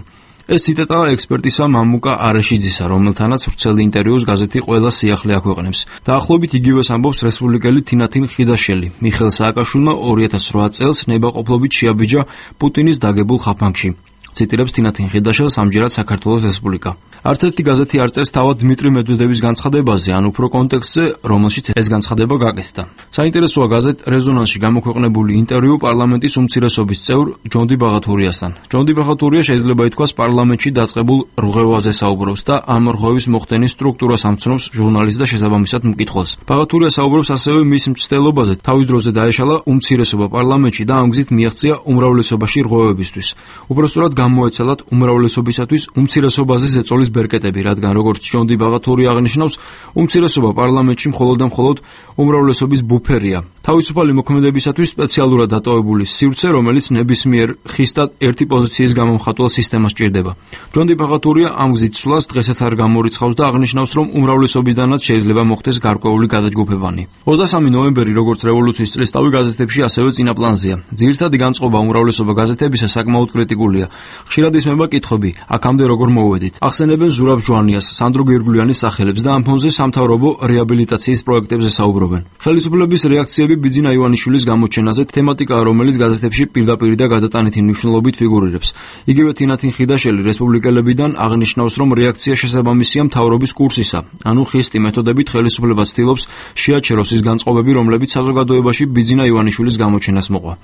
ეს ციტატაა ექსპერტისა მამუკა არეშიძისა, რომელთანაც ვრცელი ინტერვიუს გაზეთი ყველა სიახლე აქვეყნებს. დაახლოებით იგივეს ამბობს რესპუბლიკელი თინათინ ხიდაშელი. მიხეილ სააკაშვილმა ორი ათას რვა წელს ნებაყოფლობით შეაბიჯა პუტინის დაგებულ ხაფანგში. ციტირებს თინათინ ხიდაშელს ამჯერად საქართველოს რესპუბლიკა. არც ერთი გაზეთი არ წერს თავად დმიტრი მედვედევის განცხადებაზე, ან უფრო კონტექსტზე, რომელშიც ეს განცხადება გაკეთდა. საინტერესოა გაზეთ რეზონანსში გამოქვეყნებული ინტერვიუ პარლამენტის უმცირესობის წევრ ჯონდი ბაღათურიასთან. ჯონდი ბაღათურია შეიძლება ითქვას პარლამენტში დაწყებულ რღვევაზე საუბრობს და ამ რღვევის მოხდენის სტრუქტურას ამცნობს ჟურნალისტს და შესაბამისად მკითხველს. ბაღათურია საუბრობს ასევე მის მცდელობაზე, თავის დროზე დაეშალა უმცირესობა პარლამენტში და ამ გზით მიაღწია უმრავლესობაში რღვევებისთვის. უბრალოდ გამოეცალათ უმრავლესობისათვის უმცირესობაზე ზეწოლის ბერკეტები, რადგან როგორც ჯონდი ბაღათური აღნიშნავს, უმცირესობა პარლამენტში მხოლოდ და მხოლოდ უმრავლესობის ბუფერია. თავისუფალი მოქმედებისათვის სპეციალურად დატოვებული სივრცე, რომელიც ნებისმიერ ხისტად ერთი პოზიციის გამომხატველ სისტემას ჭირდება. ჯონდი ბაღათურია ამ გზით სვლას დღესაც არ გამორიცხავს და აღნიშნავს, რომ უმრავლესობიდანაც შეიძლება მოხდეს გარკვეული გადაჯგუფებანი. ოცდასამი ნოემბერი, როგორც რევოლუციის წლისთავი გაზეთებში ასევე წინაპლანზეა. ძირითადი განწყობა უმრავლესობა გაზეთებისა საკმაოდ კრიტიკულია. ხშირად ისმება კითხვები: აქამდე როგორ მოვედით? ახსენებენ ზურაბ ჟვანიას, სანდრო გირგულიანის სახელებს და ამ ფონზე სამთავრობო რეაბილიტაციის პროექტებზე საუბრობენ. ხელისუფლების რეაქციები ბიძინა ივანიშვილის გამოჩენაზე თემატიკაა, რომელიც გაზეთებში პირდაპირ და გადატანითი მნიშვნელობით ფიგურირებს. იგივე თინათინ ხიდაშელი რესპუბლიკელებიდან აღნიშნავს, რომ რეაქცია შესაბამისია მთავრობის კურსისა, ანუ ხისტი მეთოდებით ხელისუფლება ცდილობს შეაჩეროს ის განწყობები, რომლებიც საზოგადოებაში ბიძინა ივანიშვილის გამოჩენას მოყვა.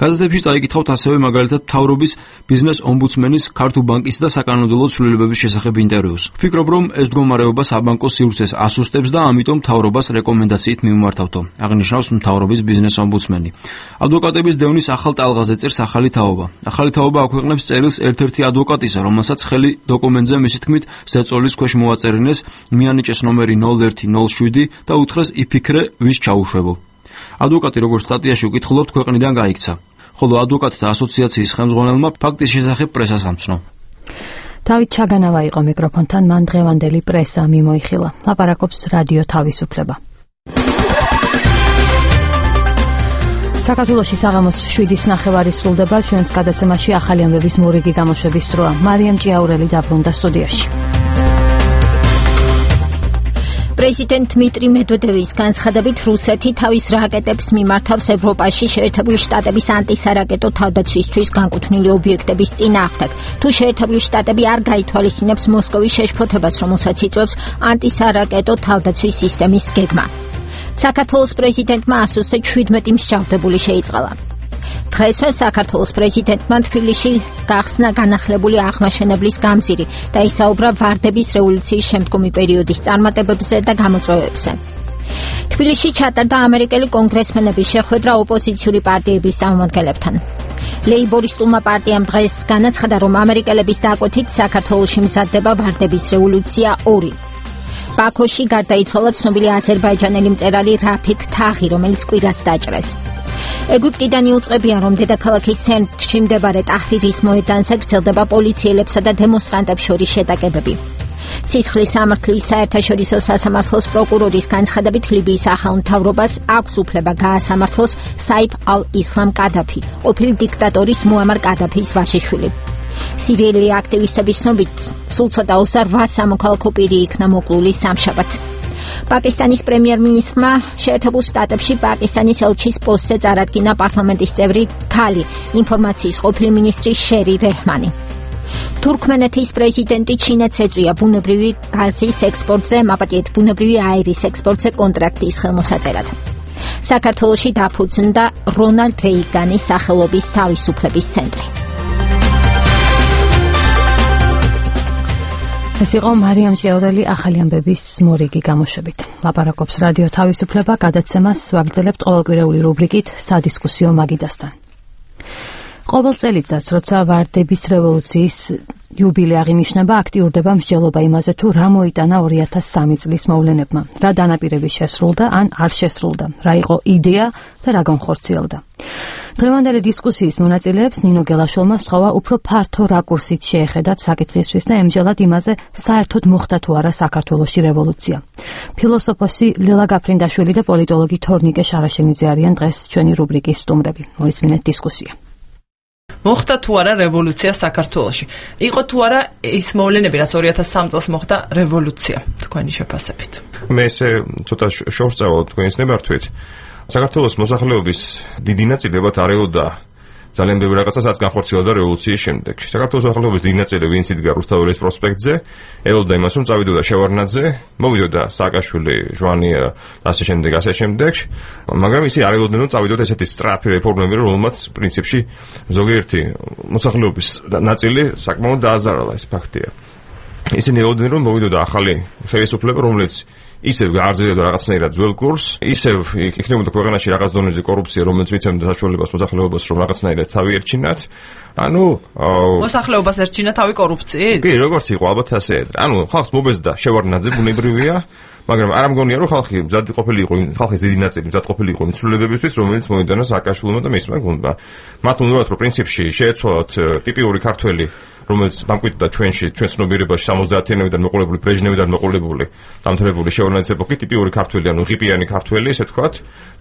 გაზეთებში წაიკითხავთ ასევე მაგალითად მთავრობის ბიზნეს ომბუდსმენის, ქართულ ბანკის და საკანონმდებლო ცვლილებების შესახებ ინტერვიუს. ვფიქრობ, რომ ეს მდგომარეობა საბანკო სივრცეს ასუსტებს და ამიტომ მთავრობას რეკომენდაციით მიმართავთო, აღნიშნავს მთავრობის ბიზნეს ომბუდსმენი. ადვოკატების დევნის ახალ ტალღაზე წერს ახალი თაობა. ახალი თაობა აქვეყნებს წერილს ერთ-ერთი ადვოკატისა, რომელსაც ხელი დოკუმენტზე მისი თქმით ზეწოლის ქვეშ მოაწერინეს, მიანიჭეს ნომერი ნულ ერთი ნულ შვიდი და უთხრეს იფიქრე, ვის ჩაუშვებო. ადვოკატი, როგორც სტატიაში უკითხულობთ, ქვეყნიდან გაიქცა. ხოლო ადვოკატთა ასოციაციის ხელმძღვანელმა ფაქტის შესახებ პრესას ამცნო. დავით ჩაგანავა იყო მიკროფონთან, მან დღევანდელი პრესა მიმოიხილა. ლაპარაკობს რადიო თავისუფლება. საქართველოში საღამოს შვიდის ნახევარი სრულდება, ჩვენს გადაცემაში ახალი ამბების მორიგი გამოშვების დროა. მარიამ ჭიაურელი დაბრუნდა სტუდიაში. პრეზიდენტ დმიტრი მედვედევის განცხადებით რუსეთი თავის რაკეტებს მიმართავს ევროპაში შეერთებული შტატების ანტისარაკეტო თავდაცვისთვის განკუთვნილი ობიექტების წინააღმდეგ. თუ შეერთებული შტატები არ გაითვალისწინებს მოსკოვის შეშფოთებას, რომელსაც იწვევს ანტისარაკეტო თავდაცვის სისტემის გეგმა. საქართველოს პრეზიდენტმა ასოზე შვიდმეტი მსჯავრდებული შეიწყალა. დღესვე საქართველოს პრეზიდენტმა თბილისში გახსნა განახლებული აღმაშენებლის გამზირი და ისაუბრა ვარდების რევოლუციის შემდგომი პერიოდის წარმატებებზე და გამოწვევებზე. თბილისში ჩატარდა ამერიკელი კონგრესმენების შეხვედრა ოპოზიციური პარტიების წარმომადგენლებთან. ლეიბორისტულმა პარტიამ დღეს განაცხადა, რომ ამერიკელების დაკვეთით საქართველოში მზადდება ვარდების რევოლუცია ორი. ბაქოში გარდაიცვალა ცნობილი აზერბაიჯანელი მწერალი რაფიკ თაღი, რომელიც კვირას დაჭრეს. ეგვიპტიდან იუწყებიან, რომ დედაქალაქის ცენტრში მდებარე ტაჰრირის მოედანზე გრძელდება პოლიციელებსა და დემონსტრანტებს შორის შეტაკებები. სისხლის სამართლის საერთაშორისო სასამართლოს პროკურორის განცხადებით, ლიბიის ახალ მთავრობას აქვს უფლება გაასამართლოს საიფ ალ-ისლამ კადაფი, ყოფილი დიქტატორის მუამარ კადაფის ვაჟიშვილი. სირიელი აქტივისტების ცნობით, სულ ცოტა ოცდაოთხ სამოქალაქო პირი იქნა მოკლული სამშაბათს. პაკისტანის პრემიერ-მინისტრმა შეერთებულ შტატებში პაკისტანის ელჩის პოსტზე წარადგინა პარლამენტის წევრი ქალი, ინფორმაციის ყოფილი მინისტრი შერი რეჰმანი. თურქმენეთის პრეზიდენტი ჩინეთს ეწვია ბუნებრივი გაზის ექსპორტზე, მაპატიეთ ბუნებრივი აირის ექსპორტზე კონტრაქტის ხელმოსაწერად. საქართველოში დაფუძნდა რონალდ რეიგანის სახელობის თავისუფლების ცენტრი. ეს იყო მარიამ ჭიაურელი ახალი ამბების მორიგი გამოშვებით. ლაპარაკობს რადიო თავისუფლება, გადაცემას ვაგრძელებთ ყოველკვირეული რუბრიკით სადისკუსიო მაგიდასთან. ყოველ წელიწადს, როცა ვარდების რევოლუციის იუბილე აღინიშნება, აქტიურდება მსჯელობა იმაზე, თუ რა მოიტანა ორი ათას სამი წლის მოვლენებმა, რა დანაპირები შესრულდა ან არ შესრულდა, რა იყო იდეა და რა განხორციელდა. დღევანდელი დისკუსიის მონაწილეებს ნინო გელაშვილმა სთხოვა უფრო ფართო რაკურსით შეეხედათ საკითხისთვის და ემჯელათ იმაზე, საერთოდ მოხდა თუ არა საქართველოში რევოლუცია. ფილოსოფოსი ლელა გაფრინდაშვილი და პოლიტოლოგი თორნიკე შარაშენიძე არიან დღეს ჩვენი რუბრიკის სტუმრები. მოისმინეთ დისკუსია. მოხდა თუ არა რევოლუცია საქართველოში? იყო თუ არა ის მოვლენები, რაც ორი ათას სამი წელს მოხდა რევოლუცია, თქვენი შეფასებით? მე ესე ცოტა შორს წავალ თქვენის ნებართვით. საქართველოს მოსახლეობის დიდი ნაწილებად არეულდა ძალიან ბევრი რაღაცასაც განხორციელდა რევოლუციის შემდეგ. საქართველოს მოსახლეობის დიდი ნაწილი, ვინც იდგა რუსთაველის პროსპექტზე, ელოდა იმას, რომ წავიდოდა შევარდნაძე, მოვიდოდა სააკაშვილი, ჟვანია და ასე შემდეგ, ასე შემდეგ, მაგრამ ისე არეულდნენ, რომ წავიდოდა ესეთი სწრაფი რეფორმები, რომელმაც პრინციპში ზოგიერთი მოსახლეობის ნაწილი საკმაოდ დააზარალა, ეს ფაქტია. ისინი ელოდნენ, რომ მოვიდოდა ახალი ხელისუფლება, რომელიც ისევ გააგრძელებდა რაღაცნაირად ძველ კურსს, ისევ იქნებოდა ქვეყანაში რაღაც დონეზე კორუფცია, რომელიც მიცემდა საშუალებას მოსახლეობას, რომ რაღაცნაირად თავი ერჩინათ. ანუ მოსახლეობას ერჩინა თავი კორუფციით? კი, როგორც იყო, ალბათ ასე. ანუ ხალხს მობეზდა შევარდნაძე, ბუნებრივია, მაგრამ არ ამგონია, რომ ხალხი მზად ყოფილიყო, ხალხის დიდი ნაწილი მზად ყოფილიყო იმ ცვლილებებისთვის, რომელიც მოიტანა სააკაშვილმა და მისმა გუნდმა. მათ უნდათ, რომ პრინციპში შეეცვალათ ტიპიური ქართველი, რომელიც დამკვიდრდა ჩვენში, ჩვენ ცნობიერებაში სამოცდაათიანებიდან მოყოლებული, ბრეჟნევიდან მოყოლებული, დამთავრებული შევარდნაძის ეპოქით ტიპიური ქართველი, ანუ ღიპიანი ქართველი, ესე ვთქვათ,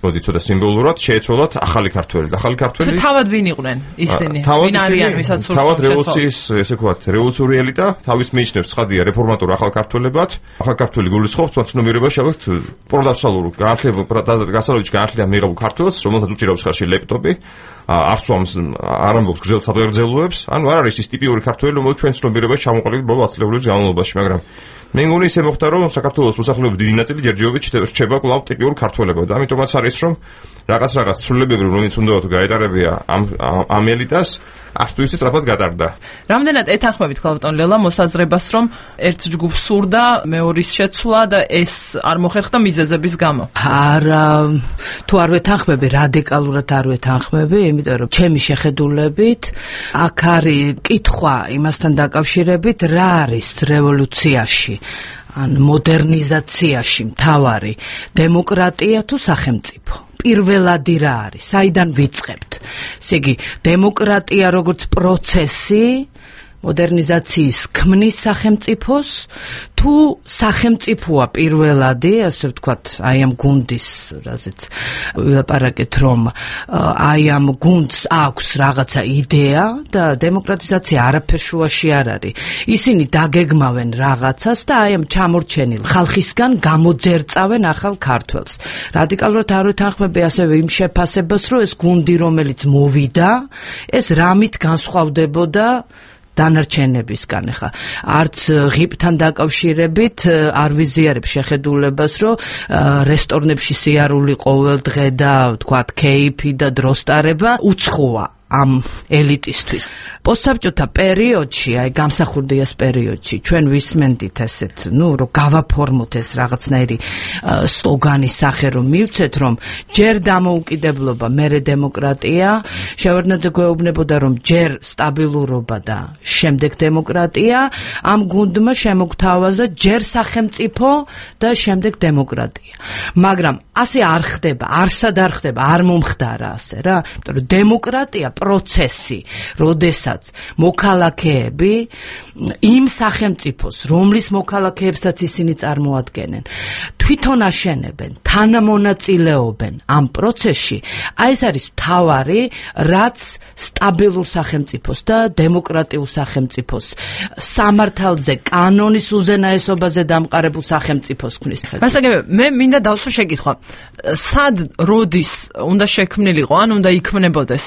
მოდი ცოტა სიმბოლურად შეეცვალათ ახალი ქართველი. ახალი ქართველი თავად ვინ იყვნენ ისინი? ვინ არიან, ვისაც სურს თავად რევოლუციის, ესე ვთქვათ, რევოლუციური ელიტა, თავის მიიჩნევს ცხადია რეფორმატორ ახალ ქართველებად. ახალ ქართველი გულისხმობს მათ ცნობიერებაში, ალბათ პროდავსალურ განათლება, გასავლელში განათლება მიიღებულ ქართველს, რომელსაც უჭირავს ხარში ლეპტოპი. არ სვამს, არ ამბობს გრძელ სადღეგრძელოებს, ანუ არ არის ის ტიპიური ქართველი, რომელიც ჩვენ ცნობიერებაში ჩამოყალიბდა ბოლო ათი წლების განმავლობაში, მაგრამ მე მგონი ისე მოხდა, რომ საქართველოს მოსახლეობის დიდი ნაწილი ჯერჯერობით რჩება კვლავ ტიპიურ ქართველებად. ამიტომაც არის, რომ რაღაც რაღაც ცვლილებები, რომელიც უნდა თუ გაეტარებია ამ ამ ელიტას, არც თუ ისე სწრაფად გატარდა. რამდენად ეთანხმებით ქალბატონ ლელა მოსაზრებას, რომ ერთ ჯგუფს სურდა მეორის შეცვლა და ეს არ მოხერხდა მიზეზების გამო? არა, თუ არ ვეთანხმები, რადიკალურად არ ვეთანხმები, იმიტომ რომ ჩემი შეხედულებით აქ არის კითხვა იმასთან დაკავშირებით, რა არის რევოლუციაში ან მოდერნიზაციაში მთავარი, დემოკრატია თუ სახელმწიფო? პირველადი რა არის? საიდან ვიწყებთ? ესე იგი, დემოკრატია როგორც პროცესი მოდერნიზაციის ქმნის სახელმწიფოს, თუ სახელმწიფოა პირველადი, ასე ვთქვათ, აი ამ გუნდის, რაზეც ვილაპარაკეთ, რომ აი ამ გუნდს აქვს რაღაცა იდეა და დემოკრატიზაცია არაფერ შუაში არ არის. ისინი დაგეგმავენ რაღაცას და აი ამ ჩამორჩენილ ხალხისგან გამოძერწავენ ახალ ქართველს. რადიკალურად არ ვეთანხმები ასევე იმ შეფასებას, რომ ეს გუნდი, რომელიც მოვიდა, ეს რამით განსხვავდებოდა დანარჩენებისგან. ხა არც ღიპთან დაკავშირებით არ ვიზიარებ შეხედულებას, რომ რესტორნებში სიარული ყოველ დღე და თქვათ კეიფი და დროსტარება უცხოა ამ ელიტისთვის. პოსტსაბჭოთა პერიოდში, აი გამსახურდიას პერიოდში, ჩვენ ვისმენდით ესეთ, ნუ რომ გავაფორმოთ ეს რაღაცნაირი სლოგანის სახე რომ მივცეთ, რომ ჯერ დამოუკიდებლობა, მერე დემოკრატია, შევარდნაძე გვეუბნებოდა, რომ ჯერ სტაბილურობა და შემდეგ დემოკრატია, ამ გუნდმა შემოგთავაზა ჯერ სახელმწიფო და შემდეგ დემოკრატია. მაგრამ ასე არ ხდება, არსად არ ხდება, არ მომხდარა ასე რა, იმიტომ რომ დემოკრატია პროცესი, როდესაც მოქალაქეები იმ სახელმწიფოს, რომლის მოქალაქეებსაც ისინი წარმოადგენენ, თვითონ აშენებენ, თანამონაწილეობენ ამ პროცესში, აი ეს არის მთავარი, რაც სტაბილურ სახელმწიფოს და დემოკრატიულ სახელმწიფოს სამართალზე, კანონის უზენაესობაზე დამყარებულ სახელმწიფოს ქმნის. მასაგებია, მე მინდა დავსვრო შეკითხვა. სად როდის უნდა შექმნილიყო, ან უნდა იქმნებოდეს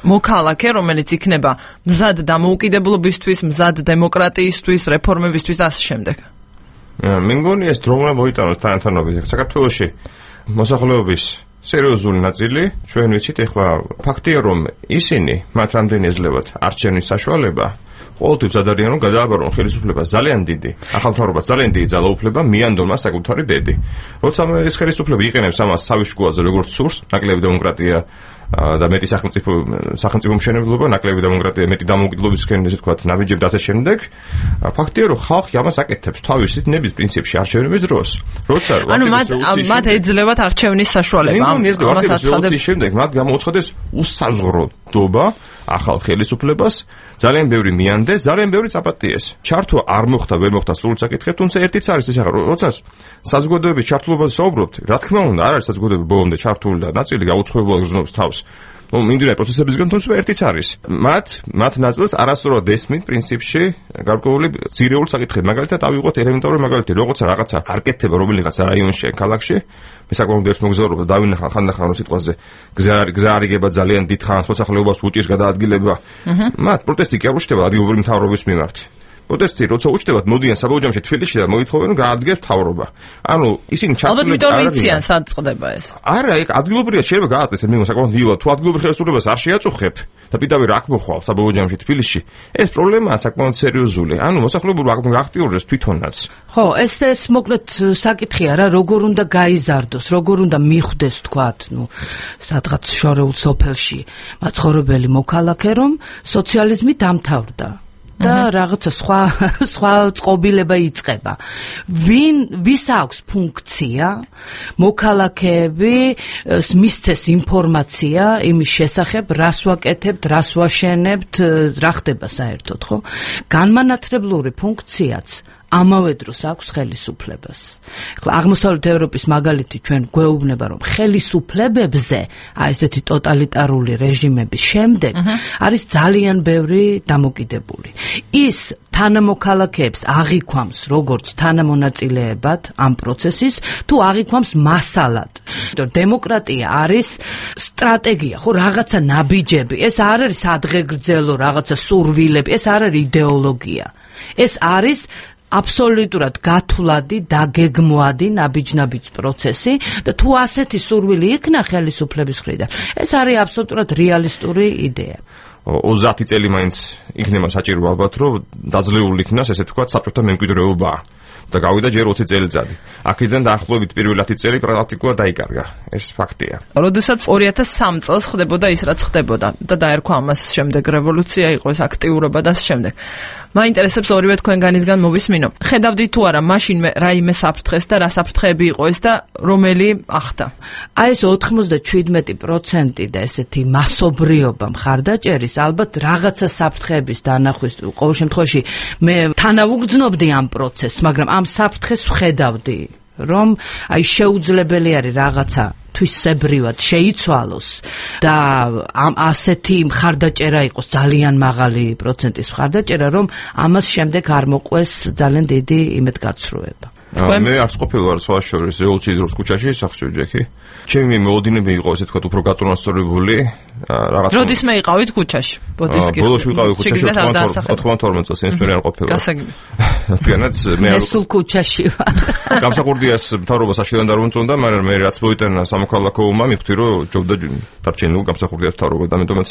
მოქალაქე, რომელიც იქნება მზად დამოუკიდებლობისთვის, მზად დემოკრატიისთვის, რეფორმებისთვის და ასე შემდეგ. მე მგონი ეს დრომა მოიტანოს თანათანობის. საქართველოში მოსახლეობის სერიოზული ნაწილი, ჩვენ ვიცით, ეხლა ფაქტია, რომ ისინი მათ რამდენი ეძლებათ არჩევნის საშუალება, ყოველთვის ადარიან რომ გადააბარონ ხელისუფლებას ძალიან დიდი, ახალ მთავრობას ძალიან დიდი ძალაუფლება მიანდონ მას საკუთარი ბედი. როცა ეს ხელისუფლება იყენებს ამას თავის შუაზე როგორც სურს, ნაკლები დემოკრატია და მეტი სახელმწიფო სახელმწიფო მშენებლობა, ნაკლები დემოკრატია, მეტი დამოუკიდებლობისკენ, ესე ვთქვათ, ნაბიჯები და ასე შემდეგ. ფაქტია, რომ ხალხი ამას აკეთებს თავისი ნების პრინციპში არჩევნების დროს. როცა ანუ მათ მათ ეძლებათ არჩევნის საშუალება. ამას აცხადებს შემდეგ მათ გამოუცხადეს უსაზღვროდობა ახალ ხელისუფლებას, ძალიან ბევრი მიანდეს, ძალიან ბევრი წაპატიეს. ჩართვა არ მოხდა, ვერ მოხდა სრული საკითხი, თუმცა ერთიც არის ეს ახლა, როცა საზოგადოების ჩართულობაზე საუბრობთ, რა თქმა უნდა, არ არის საზოგადოების ბოლომდე ჩართული და ნაწილი გაუცხოებულად გრძნობს თავს. ну, მიმდინარე პროცესებისგან თუმცა ერთიც არის. მათ მათ ნაწილს არასდროს ესმით პრინციპში გარკვეული ძირეული საკითხები. მაგალითად, ავიღოთ ელემენტარული მაგალითი, როგორც რაღაცა არ კეთდება რომელიღაც რაიონში, ქალაქში, მე საკმაოდ ერთ მოგზაურობა დავინახა ხანდახან რომ სიტყვაზე გზა გზა არიგება ძალიან დიდ ხანს, მოსახლეობას უჭირს გადაადგილება. მათ პროტესტი კი არ უჩნდება ადგილობრივი მთავრობის მიმართ. პროტესტი როცა უჩნდებათ, მოდიან საბაუჯამში თბილისში და მოითხოვენ რომ გაადგეს მთავრობა. ანუ ისინი ჩართულები არ არიან. ალბათ მითხრიან სად წყდება ეს. არა, ეგ ადგილობრივია შეიძლება გააზრდეს, მე საკმაოდ იულა, თუ ადგილობრივ ხელისუფლებას არ შეაწუხებ და პირდაპირ აქ მოხვალ საბაუჯამში თბილისში, ეს პრობლემაა საკმაოდ სერიოზული. ანუ მოსახლეობა გახტიურდეს თვითონაც. ხო, ეს ეს მოკლედ საკითხია რა, როგორ უნდა გაიზარდოს, როგორ უნდა მიხვდეს თქვათ, ნუ, სადღაც შორეულ სოფელში მაცხოვრებელი მოქალაქე, რომ სოციალიზმი დამთავრდა. და რაღაცა სხვა სხვა წყობილება იწყება. ვინ ვის აქვს ფუნქცია მოქალაქეები მისცეს ინფორმაცია იმის შესახებ, რას ვაკეთებთ, რას ვაშენებთ, რა ხდება საერთოდ, ხო? განმანათლებლური ფუნქციაც ამავე დროს აქვს ხელისუფლებას. ახლა აღმოსავლეთ ევროპის მაგალითი ჩვენ გვეუბნება, რომ ხელისუფლებებზე, აი ესეთი ტოტალიტარული რეჟიმების შემდეგ არის ძალიან ბევრი დამოკიდებული. ის თანამოქალაქეებს აღიქვამს როგორც თანამონაწილეებად ამ პროცესის, თუ აღიქვამს მასალად. დემოკრატია არის სტრატეგია, ხო, რაღაცა ნაბიჯები, ეს არ არის ადღეგრძელო რაღაცა სურვილები, ეს არ არის იდეოლოგია. ეს არის აბსოლუტურად გათვლადი, დაგეგმვადი ნაბიჯ-ნაბიჯ პროცესი და თუ ასეთი სურვილი იქნა ხელისუფლების მხრიდან, ეს არის აბსოლუტურად რეალისტური იდეა. ოცდაათი წელი მაინც იქნება საჭირო ალბათ, რომ დაძლეული იქნას, ესე ვთქვათ, საბჭოთა მემკვიდრეობა და გავიდა ჯერ ოცი წელიწადი. აქედან დაახლოებით პირველი ათი წელი პრაქტიკულად დაიკარგა. ეს ფაქტია. როდესაც ორი ათას სამი წელს ხდებოდა ის, რაც ხდებოდა და დაერქვა ამას შემდეგ რევოლუცია, იყო ეს აქტიურობა და შემდეგ. მაინტერესებს ორივე თქვენგანისგან მოვისმინო. ხედავდით თუ არა მაშინ რაიმე საფრთხეს და რა საფრთხეები იყო ეს და რომელი ახდა? აი ეს ოთხმოცდაშვიდმეტი პროცენტი და ესეთი მასობრიობა მხარდაჭერის ალბათ რაღაცა საფრთხეების დანახვის, ყოველ შემთხვევაში მე თანავუგრძნობდი ამ პროცესს, მაგრამ ამ საფრთხეს ვხედავდი, რომ აი შეუძლებელი არის რაღაცა თვისებრივად შეიცვალოს და ამ ასეთი მხარდაჭერა იყოს ძალიან მაღალი პროცენტის მხარდაჭერა, რომ ამას შემდეგ არ მოყვეს ძალიან დიდი იმედგაცრუება. მე არც ყოფილვარ სხვა შორის რევოლუციის დროს ქუჩაში სახში ჯექი. ჩემი მოლოდინები იყო ესე თქვა უფრო გაწონასწორებული რაღაც. როდის მე იყავით ქუჩაში? ბოდისკი. ბოლოში ვიყავი ქუჩაში ოთხმოცდაოთხმოცდაორ წელს ინსპირე არ ყოფილა. გასაგები. თქვენაც მე მე სულ ქუჩაში ვარ. გამსახურდიას მთავრობას აშილან დარუნწონდა, მაგრამ მე რაც მოიტანა სამოქალაქო ომმა მივხვდი რომ ჯობდა დარჩენილ გამსახურდიას მთავრობა და მეტომაც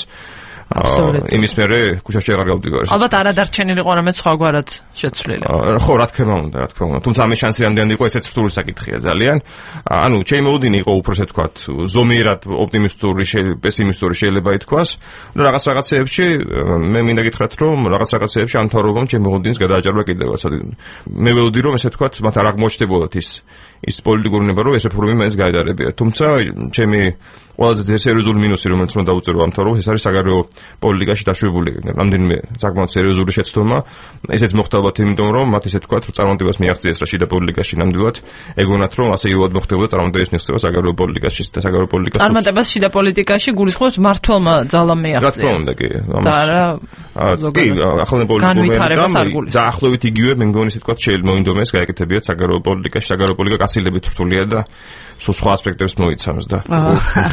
იმის მერე ქუჩაში აღარ გავდივარ. ალბათ არ ადარჩენილიყო რამე სხვაგვარად შეცვლილი. ხო, რა თქმა უნდა, რა თქმა უნდა. თუმცა ამის შანსი რამდენი იყო, ესეც რთული საკითხია ძალიან. ანუ ჩემი მოლოდინი იყო უფრო ესე ვთქვათ, ზომიერად ოპტიმისტური, პესიმისტური შეიძლება ითქვას. და რაღაც რაღაცეებში მე მინდა გითხრათ, რომ რაღაც რაღაცეებში ამ თაობამ ჩემი მოლოდინს გადააჭარბა კიდევაც. მე ველოდი რომ ესე ვთქვათ, მათ არ აღმოჩნდებოდათ ის ის პოლიტიკური ნება, რომ ეს რეფორმები მაინც გაედარებია. თუმცა ჩემი ყველაზე სერიოზული მინუსი, რომელიც უნდა დავუწერო ამ თაობას, ეს არის საგარეო პოლიტიკაში დაშვებული რამდენიმე საკმაოდ სერიოზული შეცდომა. ესეც მოხდა ალბათ იმიტომ, რომ მათ ისე თქვათ, რომ წარმატებას მიაღწიეს რა შიდა პოლიტიკაში ნამდვილად, ეგონათ, რომ ასე იულად მოხდებოდა წარმატების მიღწევა საგარეო პოლიტიკაში და საგარეო პოლიტიკაში. წარმატებას შიდა პოლიტიკაში გულისხმობს მართლმა ძალამ მიაღწია. რა თქმა უნდა, კი. და არა კი, ახალ პოლიტიკურ დაახლოებით იგივე მე მგონი ისე თქვათ შეიძლება მოინდომეს გაეკეთებიათ საგარეო პოლიტიკაში, საგარეო პოლიტიკა გაცილებით რთულია და სულ სხვა ასპექტებს მოიცავს და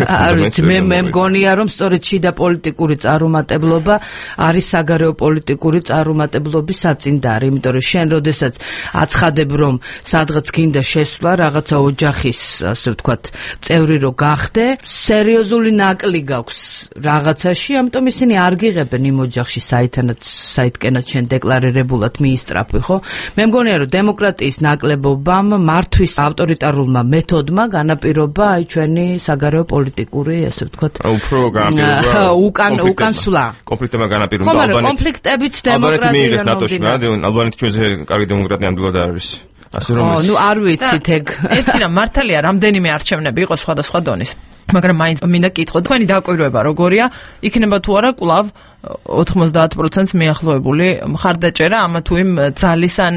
არ ვიცი მე მე მგონია რომ სწორედ შიდა პოლიტიკური წარუმატებლობა არის საგარეო პოლიტიკური წარუმატებლობის საწინდარი, იმიტომ რომ შენ როდესაც აცხადებ რომ სადღაც გინდა შესვლა რაღაცა ოჯახის ასე ვთქვათ წევრი რო გახდე, სერიოზული ნაკლი გაქვს რაღაცაში, ამიტომ ისინი არ გიღებენ იმ ოჯახში საითანაც საითკენაც შენ დეკლარირებულად მიისწრაფვი, ხო? მე მგონია რომ დემოკრატიის ნაკლებობამ მართვის ავტორიტარულმა მეთოდმა განაპირობა აი ჩვენი საგარეო პოლიტიკური, ასე ვთქვათ, უფრო განაპირობა უკან უკან სვლა. კონფლიქტებმა განაპირობა ალბანეთი. კონფლიქტებიც დემოკრატია ნამდვილად. ალბანეთი ჩვენზე კარგი დემოკრატია ნამდვილად არის. ასე რომ ეს ნუ არ ვიცით ეგ. ერთი რამ მართალია, რამდენიმე არჩევნები იყო სხვადასხვა დონის. მაგრამ მაინც მინდა კითხო, თქვენი დაკვირვება როგორია? იქნება თუ არა კვლავ ოთხმოცდაათ პროცენტს მიახლოებული მხარდაჭერა ამა თუ იმ ძალის ან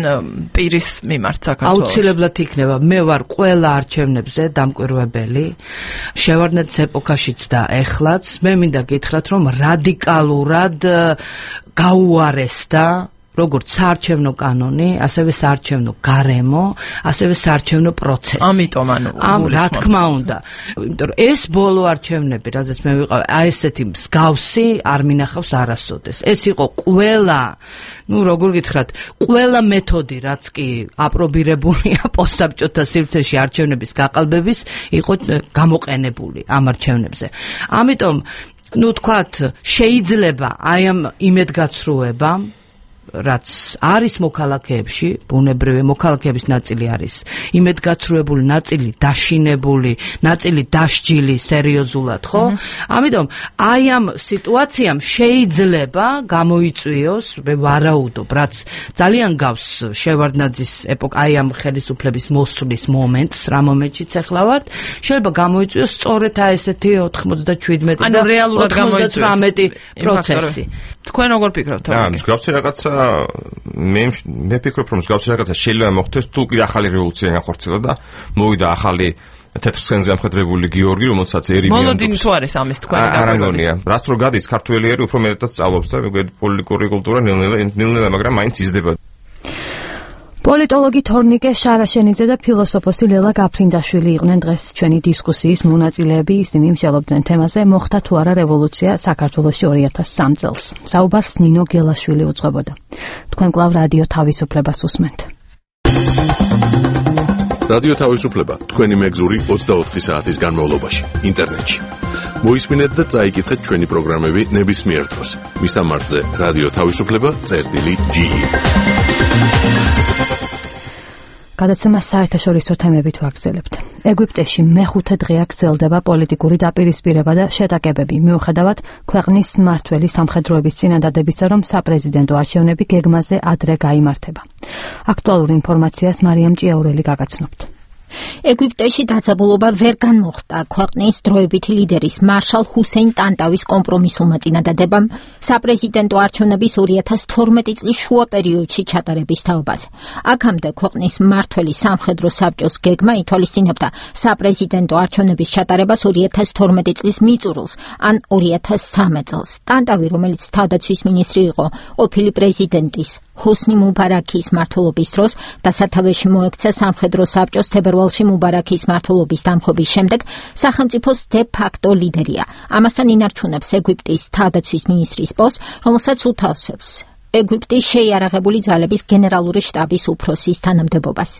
პირის მიმართ საქართველოს? აუცილებლად იქნება. მე ვარ ყველა არჩევნებზე დამკვირვებელი. შევარდნაძის ეპოქაშიც და ეხლაც. მე მინდა გითხრათ, რომ რადიკალურად გაუარესდა როგორც საარჩევნო კანონი, ასევე საარჩევნო გარემო, ასევე საარჩევნო პროცესი. ამიტომ ანუ ამ რა თქმა უნდა, იმიტომ რომ ეს ბოლო არჩევნები, რადგან მე ვიყავ, აი ესეთი მსგავსი არ მინახავს არასოდეს. ეს იყო ყველა, ну, როგორ გითხრათ, ყველა მეთოდი, რაც კი აპრობირებულია პოსტსაბჭოთა სივრცეში არჩევნების გაყალბების, იყო გამოყენებული ამ არჩევნებზე. ამიტომ, ну, თქვათ, შეიძლება აი ამ იმედგაცრუებამ რაც არის მოქალაქეებში, ბუნებრივი მოქალაქეების ნაწილი არის იმედგაცრუებული, ნაწილი დაშინებული, ნაწილი დასჯილი სერიოზულად, ხო? ამიტომ აი ამ სიტუაციამ შეიძლება გამოიწვიოს, მე ვარაუდობ, რაც ძალიან გავს შევარდნაძის ეპოქა, აი ამ ხელისუფლების მოსვლის მომენტს, რა მომენტშიც ახლა ვართ, შეიძლება გამოიწვიოს სწორედ აი ესეთი ოთხმოცდაშვიდმეტი და ოცდაოთხმოცდათვრამეტი პროცესი. თქვენ როგორ ფიქრობთ? აა, მსგავსი რაღაცა მე მე ფიქრობ რომ მსგავსი რაღაცა შეიძლება მოხდეს თუ კიდე ახალი რევოლუცია განხორციელდა და მოვიდა ახალი თეთრცხენზე ამხედრებული გიორგი, რომელსაც ერიმი მოლოდინი თუ არის ამის თქვენი არ ამგონია. რაც რო გადის ქართველი ერი უფრო მეტად სწავლობს და მეგობრებო პოლიტიკური კულტურა ნელ-ნელა ნელ-ნელა მაგრამ მაინც იზრდება. პოლიტოლოგი თორნიკე შარაშენიძე და ფილოსოფოსი ლელა გაფრინდაშვილი იყვნენ დღეს ჩვენი დისკუსიის მონაწილეები. ისინი მსჯელობდნენ თემაზე მოხდა თუ არა რევოლუცია საქართველოში ორი ათას სამ წელს. საუბარს ნინო გელაშვილი უძღვებოდა. თქვენ კვლავ რადიო თავისუფლებას უსმენთ. რადიო თავისუფლება თქვენი მეგზური ოცდაოთხი საათის განმავლობაში ინტერნეტში. მოისმინეთ და წაიკითხეთ ჩვენი პროგრამები ნებისმიერ დროს. მისამართზე რადიო თავისუფლება წერტილი ჯი. გადაცემა საერთაშორისო თემებით ვაგრძელებთ. ეგვიპტეში მეხუთე დღეა გრძელდება პოლიტიკური დაპირისპირება და შეტაკებები, მიუხედავად ქვეყნის მმართველი სამხედროების წინადადებისა, რომ საპრეზიდენტო არჩევნები გეგმაზე ადრე გაიმართება. აქტუალურ ინფორმაციას მარიამ ჭიაურელი გაგაცნობთ. ეგვიპტეში დაძაბულობა ვერ განმოხდა ქვეყნის დროებითი ლიდერის მარშალ ჰუსეინ ტანტავის კომპრომისულმა წინადადებამ საპრეზიდენტო არჩევნების ორი ათას თორმეტი წლის შუა პერიოდში ჩატარების თაობაზე. აქამდე ქვეყნის მმართველი სამხედრო საბჭოს გეგმა ითვალისწინებდა საპრეზიდენტო არჩევნების ჩატარებას ორი ათას თორმეტი წლის მიწურულს ან ორი ათას ცხრამეტ წელს. ტანტავი, რომელიც თავდაცვის მინისტრი იყო, ყოფილი პრეზიდენტის ჰოსნი მუბარაქის მმართველობის დროს და სათავეში მოექცა სამხედრო საბჭოს თებერვალში მუბარაქის მმართველობის დამხობის შემდეგ სახელმწიფოს დე ფაქტო ლიდერია. ამასთან ინარჩუნებს ეგვიპტის თავდაცვის მინისტრის პოსტს, რომელსაც უთავსებს ეგვიპტის შეიარაღებული ძალების გენერალური შტაბის უფროსის თანამდებობას.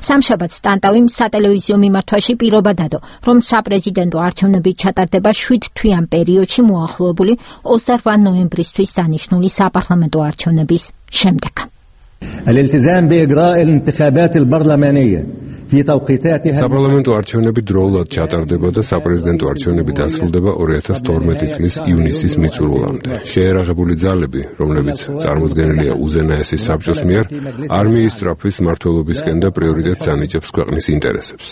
სამშაბათს ტანტავიმ სატელევიზიო მიმართვაში პირობა დადო, რომ საპრეზიდენტო არჩევნები ჩატარდება შვიდ თვიან პერიოდში მოახლოებული ოცდაოთხ ნოემბრისთვის დანიშნული საპარლამენტო არჩევნების შემდეგ. الالتزام بإجراء الانتخابات البرلمانية في توقيتاتها საპარლამენტო არჩევნები დროულად ჩატარდება და საპრეზიდენტო არჩევნები დასრულდება ორი ათას თორმეტი წლის ივნისის მიწურულამდე. შეიარაღებული ძალები, რომლებიც წარმოდგენილია უზენაესის საბჭოს მიერ, არმიის სწრაფვის მმართველობისკენ და პრიორიტეტს ანიჭებს ქვეყნის ინტერესებს.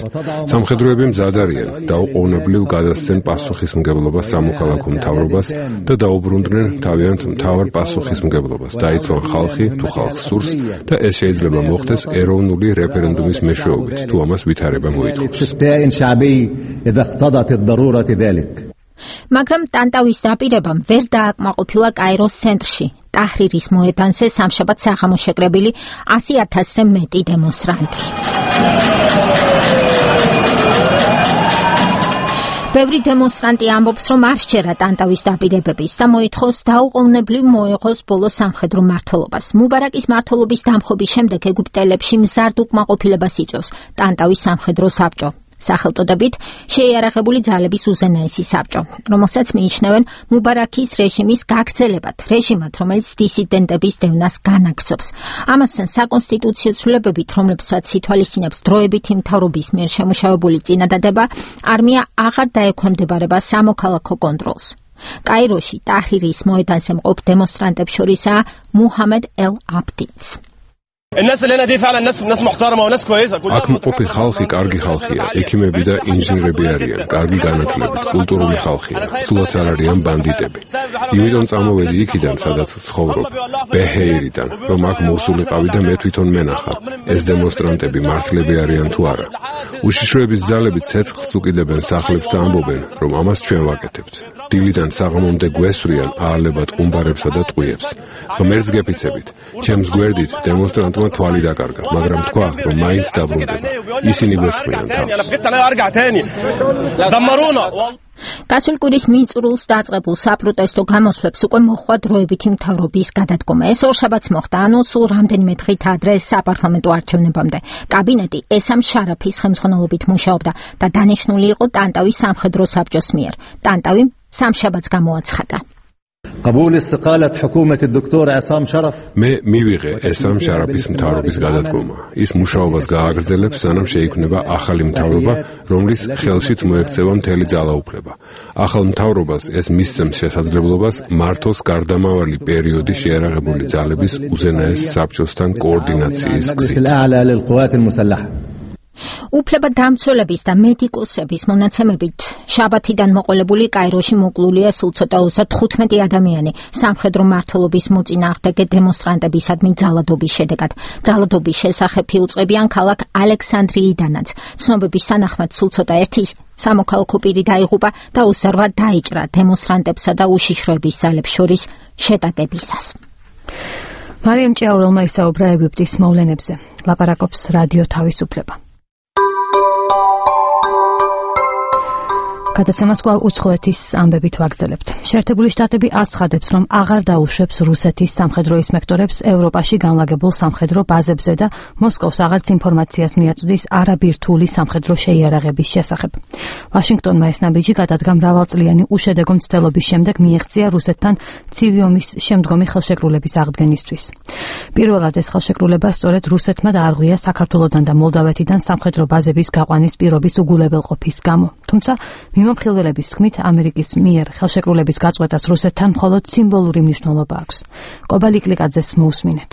სამხედროები მზად არიან, დაუყოვნებლივ გადასცენ პასუხისმგებლობას სამოქალაქო მთავრობას და დაუბრუნდნენ თავიანთ მთავარ პასუხისმგებლობას. დაიცვან ხალხი თუ ხალხს სურს და ეს შეიძლება მოხდეს ეროვნული რეფერენდუმის მეშვეობით. თუ ამას ვითარება მოითხოვს. მაგრამ ტანტავის დაპირებამ ვერ დააკმაყოფილა კაიროს ცენტრში, ტაჰრირის მოედანზე სამშაბათს აღმოშეკრებილი ასი ათასზე მეტი დემონსტრანტი. ბევრი დემონსტრანტი ამბობს, რომ არ სჯერა ტანტავის დაპირებების და მოითხოვს დაუყოვნებლივ მოეღოს ბოლო სამხედრო მმართველობას. მუბარაკის მმართველობის დამხობის შემდეგ ეგვიპტელებში მზარდ უკმაყოფილებას იწვევს ტანტავის სამხედრო საბჭო. სახელწოდებით შეიარაღებული ძალების უზენაესი საბჭო, რომელსაც მიიჩნევენ მუბარაკის რეჟიმის გაგრძელებად, რეჟიმად, რომელიც დისიდენტების დევნას განაგრძობს. ამასთან საკონსტიტუციო ცვლილებებით, რომლებსაც ითვალისწინებს დროებითი მთავრობის მიერ შემუშავებული წინადადება, არმია აღარ დაექვემდებარება სამოქალაქო კონტროლს. კაიროში ტაჰრირის მოედანზე მყოფ დემონსტრანტებს შორისაა მუჰამედ ელ აბდიც. الناس اللي هنا دي فعلا ناس ناس محترمه وناس كويسه აქ მყოფი ხალხი კარგი ხალხია, ექიმები და ინჟინრები არიან, კარგი განათლებით, კულტურული ხალხია, სულაც არ არიან ბანდიტები. იმიტომ წამოვედი იქიდან, სადაც ვცხოვრობ, ბეჰეირიდან, რომ აქ მოსულიყავი და მე თვითონ მენახა, ეს დემონსტრანტები მართლები არიან თუ არა. უშიშროების ძალები ცეცხლს უკიდებენ სახლებს და ამბობენ, რომ ამას ჩვენ ვაკეთებთ. დილიდან საღამომდე გვესვრიან აალებად ყუმბარებსა და ტყვიებს. ღმერთს გეფიცებით, ჩემს გვერდით დემონსტრანტმა თვალი დაკარგა, მაგრამ თქვა, რომ მაინც დაბრუნდება. ისინი გვესხმიან თავს. გასულ კვირის მიწურულს დაწყებულ საპროტესტო გამოსვლებს უკვე მოჰყვა დროებითი მთავრობის გადადგომა. ეს ორშაბათს მოხდა, ანუ სულ რამდენიმე დღით ადრე საპარლამენტო არჩევნებამდე. კაბინეტი ესამ შარაფის ხელმძღვანელობით მუშაობდა და დანიშნული იყო ტანტავის სამხედრო საბჭოს მიერ. ტანტავი სამშაბათს გამოაცხადა. قبول استقالة حكومة الدكتور عصام شرف მე მივიღე ესამ შარაფის მთავრობის გადადგომა. ის მუშაობას გააგრძელებს, სანამ შეიქმნება ახალი მთავრობა, რომლის ხელშიც მოექცევა მთელი ძალაუფლება. ახალ მთავრობას ეს მისცემს შესაძლებლობას მართოს გარდამავალი პერიოდი შეიარაღებული ძალების უზენაეს საბჭოსთან კოორდინაციის გზით. უფლება დამცველების და მედიკოსების მონაცემებით შაბათიდან მოყოლებული კაიროში მოკლულია სულ ცოტა ოცდათხუთმეტი ადამიანი სამხედრო მმართველობის მოწინააღმდეგე დემონსტრანტებისადმი ძალადობის შედეგად. ძალადობის შესახებ იუწყებიან ქალაქ ალექსანდრიიდანაც. ცნობების თანახმად სულ ცოტა ერთი სამოქალაქო პირი დაიღუპა და უსერვა დაიჭრა დემონსტრანტებსა და უშიშროების ძალებს შორის შეტაკებისას. მარიამ ჭიაურელმა ისაუბრა ეგვიპტის მოვლენებზე. ლაპარაკობს რადიო თავისუფლება. გადაცემას კვლავ უცხოეთის ამბებით ვაგრძელებთ. შეერთებული შტატები აცხადებს, რომ აღარ დაუშვებს რუსეთის სამხედრო ინსპექტორებს ევროპაში განლაგებულ სამხედრო ბაზებზე და მოსკოვს აღარც ინფორმაციას მიაწვდის არაბირთული სამხედრო შეიარაღების შესახებ. ვაშინგტონმა ეს ნაბიჯი გადადგა მრავალწლიანი უშედეგო მცდელობის შემდეგ მიეღწია რუსეთთან ცივი ომის შემდგომი ხელშეკრულების აღდგენისთვის. პირველად ეს ხელშეკრულება სწორედ რუსეთმა დაარღვია საქართველოსთან და მოლდავეთიდან სამხედრო ბაზების გაყვანის პირობის უგულებელყოფის გამო. თუმცა მიმომხილველების თქმით, ამერიკის მიერ ხელშეკრულების გაწყვეტას რუსეთთან მხოლოდ სიმბოლური მნიშვნელობა აქვს. კობალი კლიკაძეს მოусმინეთ.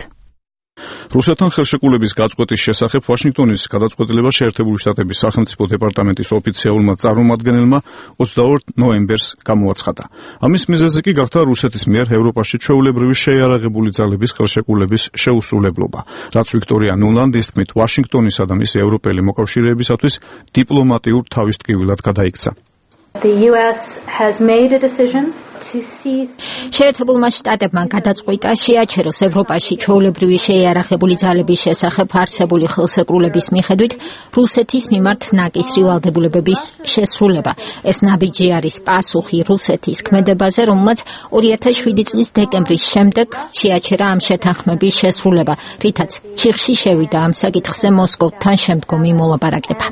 რუსეთთან ხელშეკრულების გაწყვეტის შესახებ ვაშინგტონის გადაწყვეტილება შეერთებული შტატების სახელმწიფო დეპარტამენტის ოფიციალურმა წარმომადგენელმა ოცდაორ ნოემბერს გამოაცხადა. ამის მიზეზი კი გახდა რუსეთის მიერ ევროპაში ჩვეულებრივი შეიარაღებული ძალების ხელშეკრულების შეუსრულებლობა, რაც ვიქტორია ნულანდის თქმით ვაშინგტონისა და მისი ევროპელი მოკავშირეებისათვის დიპლომატიურ თავისტკივილად გადაიქცა. The U S has made a decision შეერთებულმა შტატებმა გადაწყვიტა შეაჩეროს ევროპაში ჩვეულებრივი შეიარაღებული ძალების შესახებ არსებული ხელსეკრულების მიხედვით რუსეთის მიმართ ნაკისრი ვალდებულებების შესრულება. ეს ნაბიჯი არის პასუხი რუსეთის ქმედებაზე, რომელმაც ორი ათას შვიდი წლის დეკემბრის შემდეგ შეაჩერა ამ შეთანხმების შესრულება, რითაც ჩიხში შევიდა ამ საკითხზე მოსკოვთან შემდგომი მოლაპარაკება.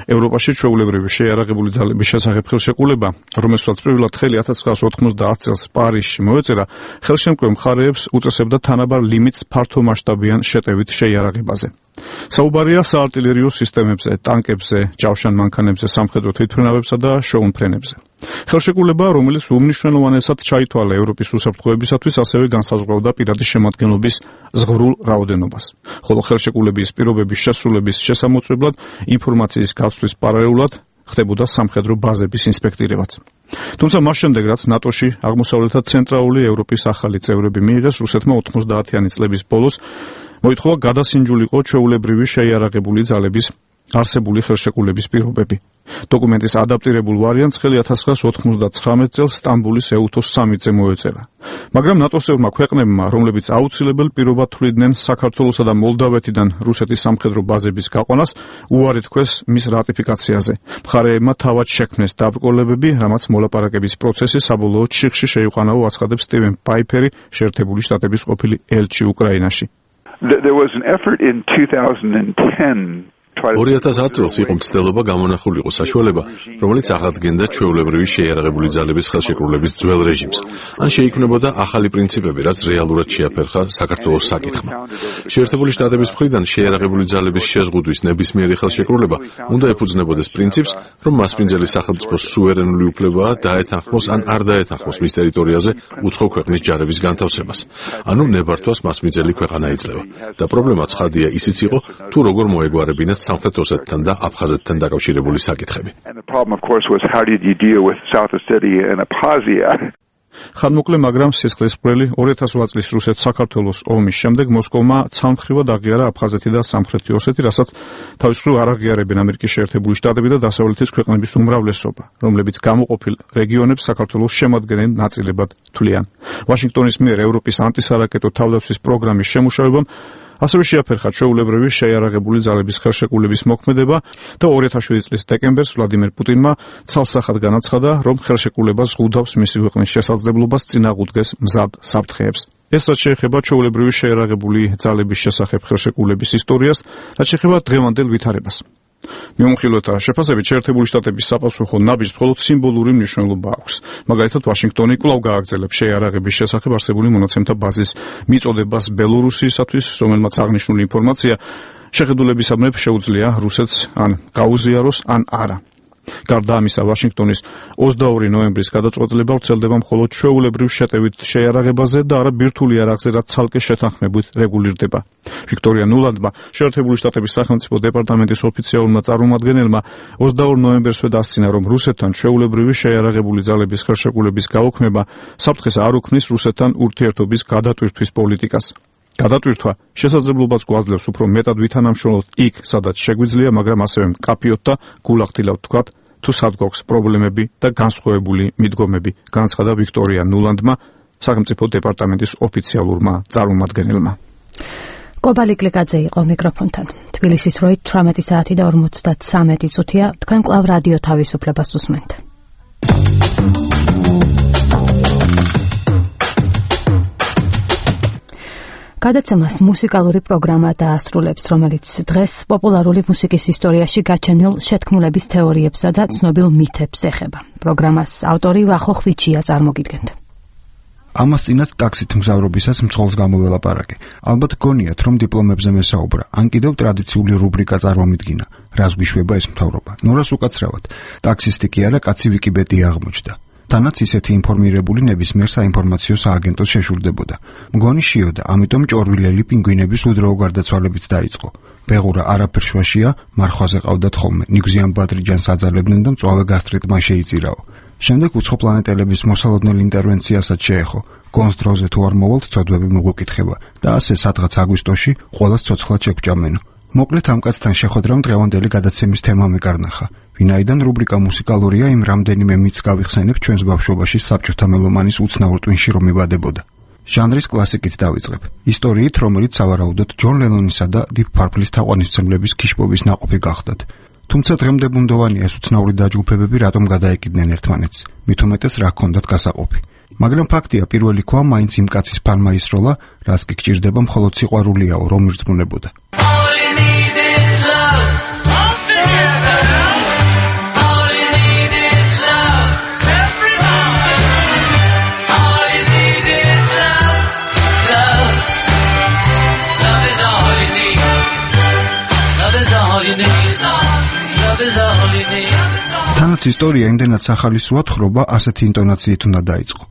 ევროპაში ჩვეულებრივი შეიარაღებული ძალების შესახებ ხელშეკრულება, რომელსაც პირველად ხელი ათას ცხრაასი ოთხმოცდაათ წელს პარიზში მოეწერა, ხელშემკვე მხარეებს უწესებდა თანაბარ ლიმიტს ფართომასშტაბიან შეტევით შეიარაღებაზე. საუბარია საარტილერიო სისტემებზე, ტანკებზე, ჯავშან მანქანებზე, სამხედრო თვითმფრინავებსა და შოუმფრენებზე. ხელშეკრულება, რომელიც უმნიშვნელოვანესად ჩაითვალა ევროპის უსაფრთხოებისათვის, ასევე განსაზღვრავდა პირადი შემადგენლობის ზღვრულ რაოდენობას. ხოლო ხელშეკრულების პირობების შესრულების შესამოწმებლად ინფორმაციის გაცვლის პარალელურად ხდებოდა სამხედრო ბაზების ინსპექტირებაც. თუმცა მას შემდეგ, რაც ნატოში აღმოსავლეთ და ცენტრალური ევროპის ახალი წევრები მიიღეს, რუსეთმა ოთხმოცდაათიანი წლების ბოლოს მოითხოვა გადასინჯულიყო ჩვეულებრივი შეიარაღებული ძალების არსებული ხელშეკრულების პირობები. დოკუმენტის ადაპტირებულ ვარიანტს ხელი ათას ცხრაასი ოთხმოცდაცხრამეტ წელს სტამბულის ეუთოს სამი-ზე მოეწერა. მაგრამ ნატოს-ევრმა ქვეყნებმა, რომლებიც აუცილებელ პირობად თვლიდნენ საქართველოსა და მოლდავეთიდან რუსეთის სამხედრო ბაზების გაყვანას, უარი თქვეს მის რატიფიკაციაზე. მხარეებმა თავად შექმნეს დაბრკოლებები, რამაც მოლაპარაკების პროცესი საბოლოოდ ჩიხში შეიყვანაო, აცხადებს სტივენ პაიფერი, შეერთებული შტატების ყოფილი ელჩი უკრაინაში. There was an effort in two thousand ten ორი ათას ათი წელს იყო მცდელობა გამონახულიყო საშუალება, რომელიც აღადგენდა ჩვეულებრივი შეიარაღებული ძალების ხელშეკრულების ძველ რეჟიმს, ან შეიქმნებოდა ახალი პრინციპები, რაც რეალურად შეაფერხა საქართველოს საკითხმა. შეერთებული შტატების მხრიდან შეიარაღებული ძალების შეზღუდვის ნებისმიერი ხელშეკრულება უნდა ეფუძნებოდეს პრინციპს, რომ მასპინძელი სახელმწიფოს სუვერენული უფლებაა დაეთანხმოს ან არ დაეთანხმოს მის ტერიტორიაზე უცხო ქვეყნის ჯარების განთავსებას. ანუ ნებართვას მასპინძელი ქვეყანა იძლევა. და პრობლემა ცხადია ისიც იყო, თუ როგორ მოეგვარებინათ სამხრეთ ოსეთთან და აფხაზეთთან დაკავშირებული საკითხები. ხანმოკლე, მაგრამ სისხლისმღვრელი ორი ათას ოთხ წლის რუსეთ-საქართველოს ომის შემდეგ მოსკოვმა ცალმხრივად აღიარა აფხაზეთი და სამხრეთი ოსეთი, რასაც თავის მხრივ არ აღიარებენ ამერიკის შეერთებული შტატები და დასავლეთის ქვეყნების უმრავლესობა, რომლებიც გამოყოფილ რეგიონებს საქართველოს შემადგენელ ნაწილებად თვლიან. ვაშინგტონის მიერ ევროპის ანტისარაკეტო თავდაცვის პროგრამის შემუშავებამ ასევე შეაფერხა ჩვეულებრივი შეიარაღებული ძალების ხელშეკრულების მოქმედება და ორი ათას შვიდი წლის დეკემბერს ვლადიმერ პუტინმა ცალსახად განაცხადა, რომ ხელშეკრულება ზღუდავს მისი ქვეყნის შესაძლებლობას წინააღმდეგეს მზად საფრთხეებს. ეს რაც შეეხება ჩვეულებრივი შეიარაღებული ძალების შესახებ ხელშეკრულების ისტორიას, რაც შეეხება დღევანდელ ვითარებას. მიუხედავად შეფასებით, შეერთებული შტატების საპასუხო ნაბიჯს მხოლოდ სიმბოლური მნიშვნელობა აქვს. მაგალითად, ვაშინგტონი კვლავ გააგრძელებს შეიარაღების შესახებ არსებული მონაცემთა ბაზის მიწოდებას ბელორუსიისათვის, რომელმაც აღნიშნული ინფორმაცია შეხედულებისამებრ შეუძლია რუსეთს ან გაუზიაროს, ან არა. გარდა ამისა, ვაშინგტონის ოცდაორი ნოემბრის გადაწყვეტილება ვრცელდება მხოლოდ ჩვეულებრივ შეტევით შეიარაღებაზე და არა ბირთვული იარაღზე, რაც ცალკე შეთანხმებით რეგულირდება. ვიქტორია ნულანდმა, შეერთებული შტატების სახელმწიფო დეპარტამენტის ოფიციალურმა წარმომადგენელმა ოცდაორ ნოემბერსვე დასცინა, რომ რუსეთთან ჩვეულებრივი შეიარაღებული ძალების ხელშეკრულების გაუქმება საფრთხეს არ უქმნის რუსეთთან ურთიერთობის გადატვირთვის პოლიტიკას. გადატვირთვა შესაძლებლობას გვაძლევს უფრო მეტად ვითანამშრომლოთ იქ, სადაც შეგვიძლია, მაგრამ ასევე მკაფიოდ და გულახდილად ვთქვათ, თუ სად გვაქვს პრობლემები და განსხვავებული მიდგომები, განაცხადა ვიქტორია ნულანდმა, სახელმწიფო დეპარტამენტის ოფიციალურმა წარმომადგენელმა. კობალი კლიკაძე იყო მიკროფონთან. თბილისის დროით თვრამეტი საათი და ორმოცდათვრამეტი წუთია. თქვენ კვლავ რადიო თავისუფლებას უსმენთ. გადაცემას მუსიკალური პროგრამა დაასრულებს, რომელიც დღეს პოპულარული მუსიკის ისტორიაში გაჩენილ შეთქმულების თეორიებსა და ცნობილ მითებს ეხება. პროგრამას ავტორი ვახო ხვიჩია წარმოგიდგენთ. ამას წინათ ტაქსით მგზავრობისას მძღოლს გამოველაპარაკე. ალბათ გონიათ, რომ დიპლომებზე მესაუბრა, ან კიდევ ტრადიციული რუბრიკა წარმომიდგინა. რას გვიშვება ეს მთავრობა? ნორას უკაცრავად. ტაქსისტი კი არა, კაცი ვიკიპედია აღმოჩნდა. თანაც ისეთი ინფორმირებული ნებისმიერ საინფორმაციო სააგენტოს შეშურდებოდა. მგონი შიოდა, ამიტომ ჭორვილელი პინგვინების უდროო გარდაცვალებით დაიწყო. ბეღურა არაფერ შვაშია, მარხვაზე ყავდათ ხოლმე, ნიგზიან ბადრიჯანს აძალებდნენ და მწვავე გასტრიტმა შეიწირაო. შემდეგ უცხო პლანეტელების მოსალოდნელ ინტერვენციასაც შეეხო. გონს დროზე თუ არ მოვალთ, ცოდვები მოგვეკითხება და ასე სადღაც აგვისტოში ყველას ცოცხლად შეგვჭამენო. მოკლედ ამ კაცთან შეხვედრამ დღევანდელი გადაცემის თემა მეკარნახა. ვინაიდან რუბრიკა მუსიკალურია, იმ რამდენიმე მითს გავიხსენებ ჩვენს ბავშვობაში საბჭოთა მელომანის უცნაურ ტვინში რომ იბადებოდა. ჟანრის კლასიკით დავიწყებ. ისტორიით, რომელიც სავარაუდოდ ჯონ ლენონისა და დიპ პარპლის თაყვანისმცემლების ქიშპობის ნაყოფი გახდათ. თუმცა დღემდე ბუნდოვანია ეს უცნაური დაჯგუფებები რატომ გადაეკიდნენ ერთმანეთს. მით უმეტეს რა ჰქონდათ გასაყოფი. მაგრამ ფაქტია, პირველი ქვა მაინც იმ კაცის ფანმა ისროლა, რაც კი გჭირდება მხოლოდ სიყვარულიაო, რომ ირწმუნებოდა. თანაც ისტორია იმდენად სახალისოა თხრობა ასეთი ინტონაციით უნდა დაიწყო.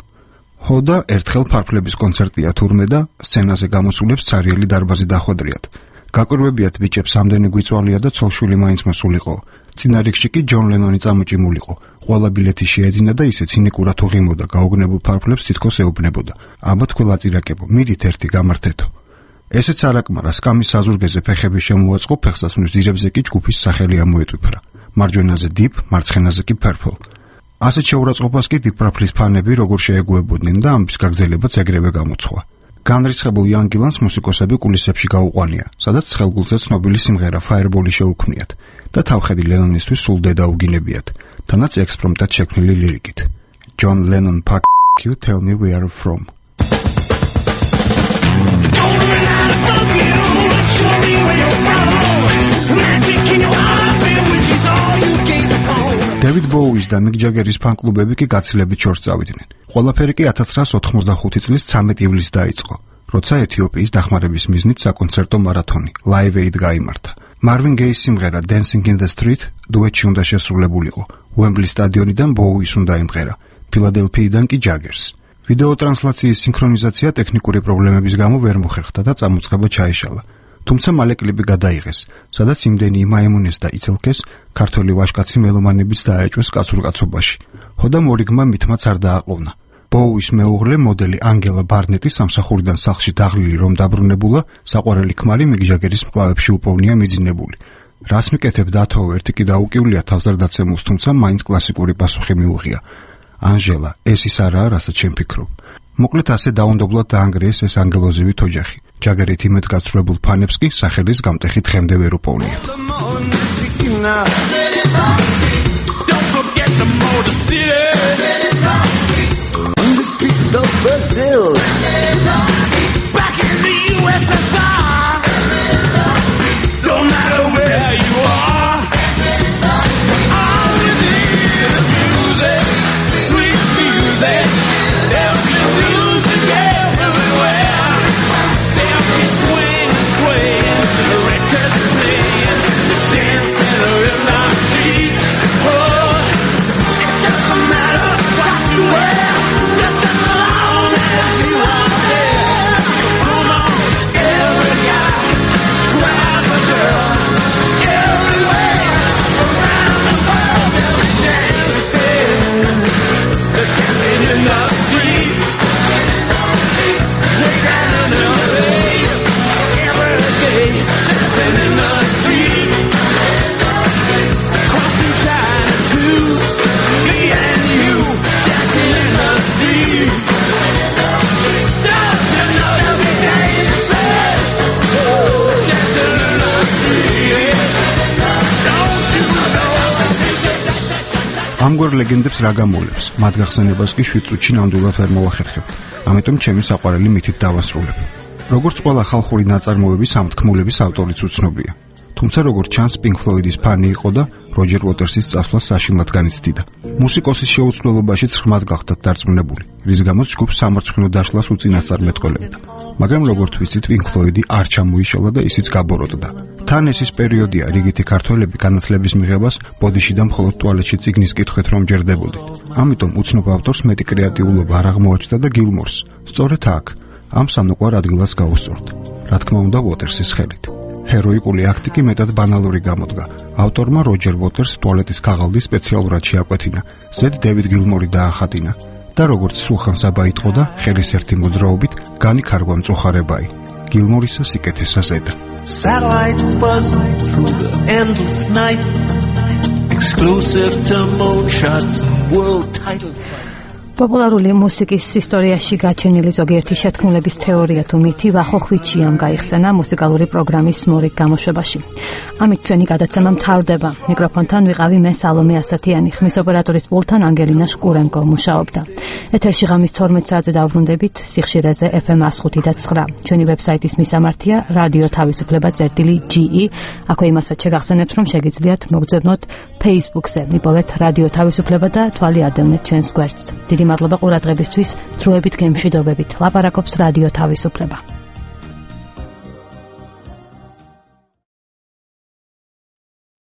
ჰოდა ერთხელ ფარფლების კონცერტია თურმე და სცენაზე გამოსულებს ცარიელი დარბაზი დახვედრიათ. გაკვირვებიათ ბიჭებს ამდენი გვიწვალია და ცოლშვილი მაინც მოსულიყო. წინა რიგში კი ჯონ ლენონი წამოჭიმულიყო. ყველა ბილეთი შეეძინა და ისე ცინიკურად უღიმოდა, გაუგნებულ ფარფლებს თითქოს ეუბნებოდა. აბა თქვენ ლაწირაკებო, მიდით ერთი გამართეთო. ესეც არაკმარა, სკამის საზურგეზე ფეხები შემოაწყო, ფეხსაცმლის ძირებზე კი ჯგუფის სახელი ამოეტვიფრა. მარჯვენაზე დიპ, მარცხენაზე კი პერპლ. ასეთ შეურაცხყოფას კი დიპ პარპლის ფანები როგორ შეეგუებოდნენ და ამის გაგრძელებაც ეგრევე გამოცხვა. განრისხებულ იან გილანს მუსიკოსები კულისებში გაუყვანია, სადაც ხელგულზე ცნობილი სიმღერა Fireball-ი შეუქმნიათ და თავხედი ლენონისთვის სულ დედაუგინებიათ, თანაც ექსპრომტად შექმნილი ლირიკით. John Lennon, fuck you, tell me where you're from. დევიდ ბოუის და მიკ ჯაგერის ფან-კლუბები კი გაცილებით შორს წავიდნენ. ყველაფერი კი ათას ცხრაას ოთხმოცდახუთი წლის ცამეტი ივლისს დაიწყო, როცა ეთიოპიის დახმარების მიზნით საკონცერტო მარათონი Live Aid გაიმართა. მარვინ გეის სიმღერა Dancing in the Street დუეტში უნდა შესრულებულიყო. უემბლის სტადიონიდან ბოუის უნდა იმღერა, ფილადელფიიდან კი ჯაგერს. ვიდეო ტრანსლაციის სინქრონიზაცია ტექნიკური პრობლემების გამო ვერ მოხერხდა და წამოწყება ჩაეშალა. თუმცა მალე კლიპი გადაიღეს, სადაც იმდენი იმაემუნეს და იცელკეს, ქართველი ვაჟკაცი მელომანებიც დაეჭვეს კაცურ კაცობაში. ჰოდა მორიგმა მითმაც არ დააყოვნა. ბოუის მეუღლე მოდელი ანგელა ბარნეტი სამსახურიდან სახლში დაღლილი რომ დაბრუნებულა, საყვარელი ქმარი მიკ ჯაგერის მკლავებში უპოვნია მიძინებული. რას მიკეთებ დათო, ერთი კი დაუკივლია თავს არ დაცემულს, თუმცა მაინც კლასიკური პასუხი მიუღია. ანჟელა, ეს ის არაა, რასაც ჩემ ფიქრობ. მოკლედ ასე დაუნდობლად დაანგრიეს ეს ანგელოზივით ოჯახი. ჯაგერით იმედ გაცრუებულ ფანებს კი სახელის გამტეხი დღემდე ვერ უპოვნიათ. ამგვარ ლეგენდებს რა გამოვლებს? მათ გახსენებას კი შვიდ წუთში ნამდვილად ვერ მოვახერხებთ. ამიტომ ჩემი საყვარელი მითით დავასრულებ. როგორც ყველა ხალხური ნაწარმოების ამ თქმულების ავტორიც უცნობია. თუმცა როგორც ჩანს, Pink Floyd-ის ფანი იყო და როჯერ უოტერსის წასვლა საშინლად განიცდიდა. მუსიკოსის შეუცვლელობაშიც ღრმად გახდათ დარწმუნებული, რის გამოც ჯგუფს სამარცხვინო დაშლას უწინასწარ მეტყოლებდა. მაგრამ როგორც ვიცით, Pink Floyd-ი არ ჩამოიშალა და ისიც გაბოროტდა. თან ეს ის პერიოდია, რიგითი ქართველები განათლების მიღებას ბოდიში და მხოლოდ ტუალეტში წიგნის კითხვით რომ ჯერდებოდით. ამიტომ უცნობ ავტორს მეტი კრეატიულობა არ აღმოაჩნდა და გილმორს სწორედ აქ, ამ სანუკვარ ადგილას გაუსწორდა. რა თქმა უნდა, უოტერსის ხელით. ჰეროიკული აქტი კი მეტად ბანალური გამოდგა. ავტორმა როჯერ უოტერს ტუალეტის ქაღალდი სპეციალურად შეაკვეთინა, ზედ დევიდ გილმორი დაახატინა და როგორც სულხან საბა იტყო და ხელის ერთი მოძრაობით განიქარგვა მწუხარებაი. გილმორისა სიკეთესა ზედა. Satellite buzzing through the endless night, exclusive to Moonshots world title. პოპულარული მუსიკის ისტორიაში გაჩენილი ზოგიერთი შეთქმულების თეორია თუ მითი ვახოხვითშიამ გაიხსენა მუსიკალური პროგრამის მორიგ გამოშვებაში. ამით ჩვენი გადაცემა მთავრდება. მიკროფონთან ვიყავი მე სალომე ასათიანი, ხმის ოპერატორის პულტთან ანგელინა შკურენკო მუშაობდა. ეთერში ღამის თორმეტ საათზე დავბრუნდებით სიხშირეზე ეფ ემ one oh five და nine. ჩვენი ვებსაიტის მისამართია რადიო თავისუფლება წერტილი ჯი ი. აქვე იმასაც შეგახსენებთ, რომ შეგიძლიათ მოგძებნოთ Facebook-ზე, მიპოვეთ რადიო თავისუფლება და თვალი ადევნეთ ჩვენს გვერდს. დიდი მადლობა ყურადღებისთვის, დროებით გემშვიდობებით. ლაპარაკობს რადიო თავისუფლება.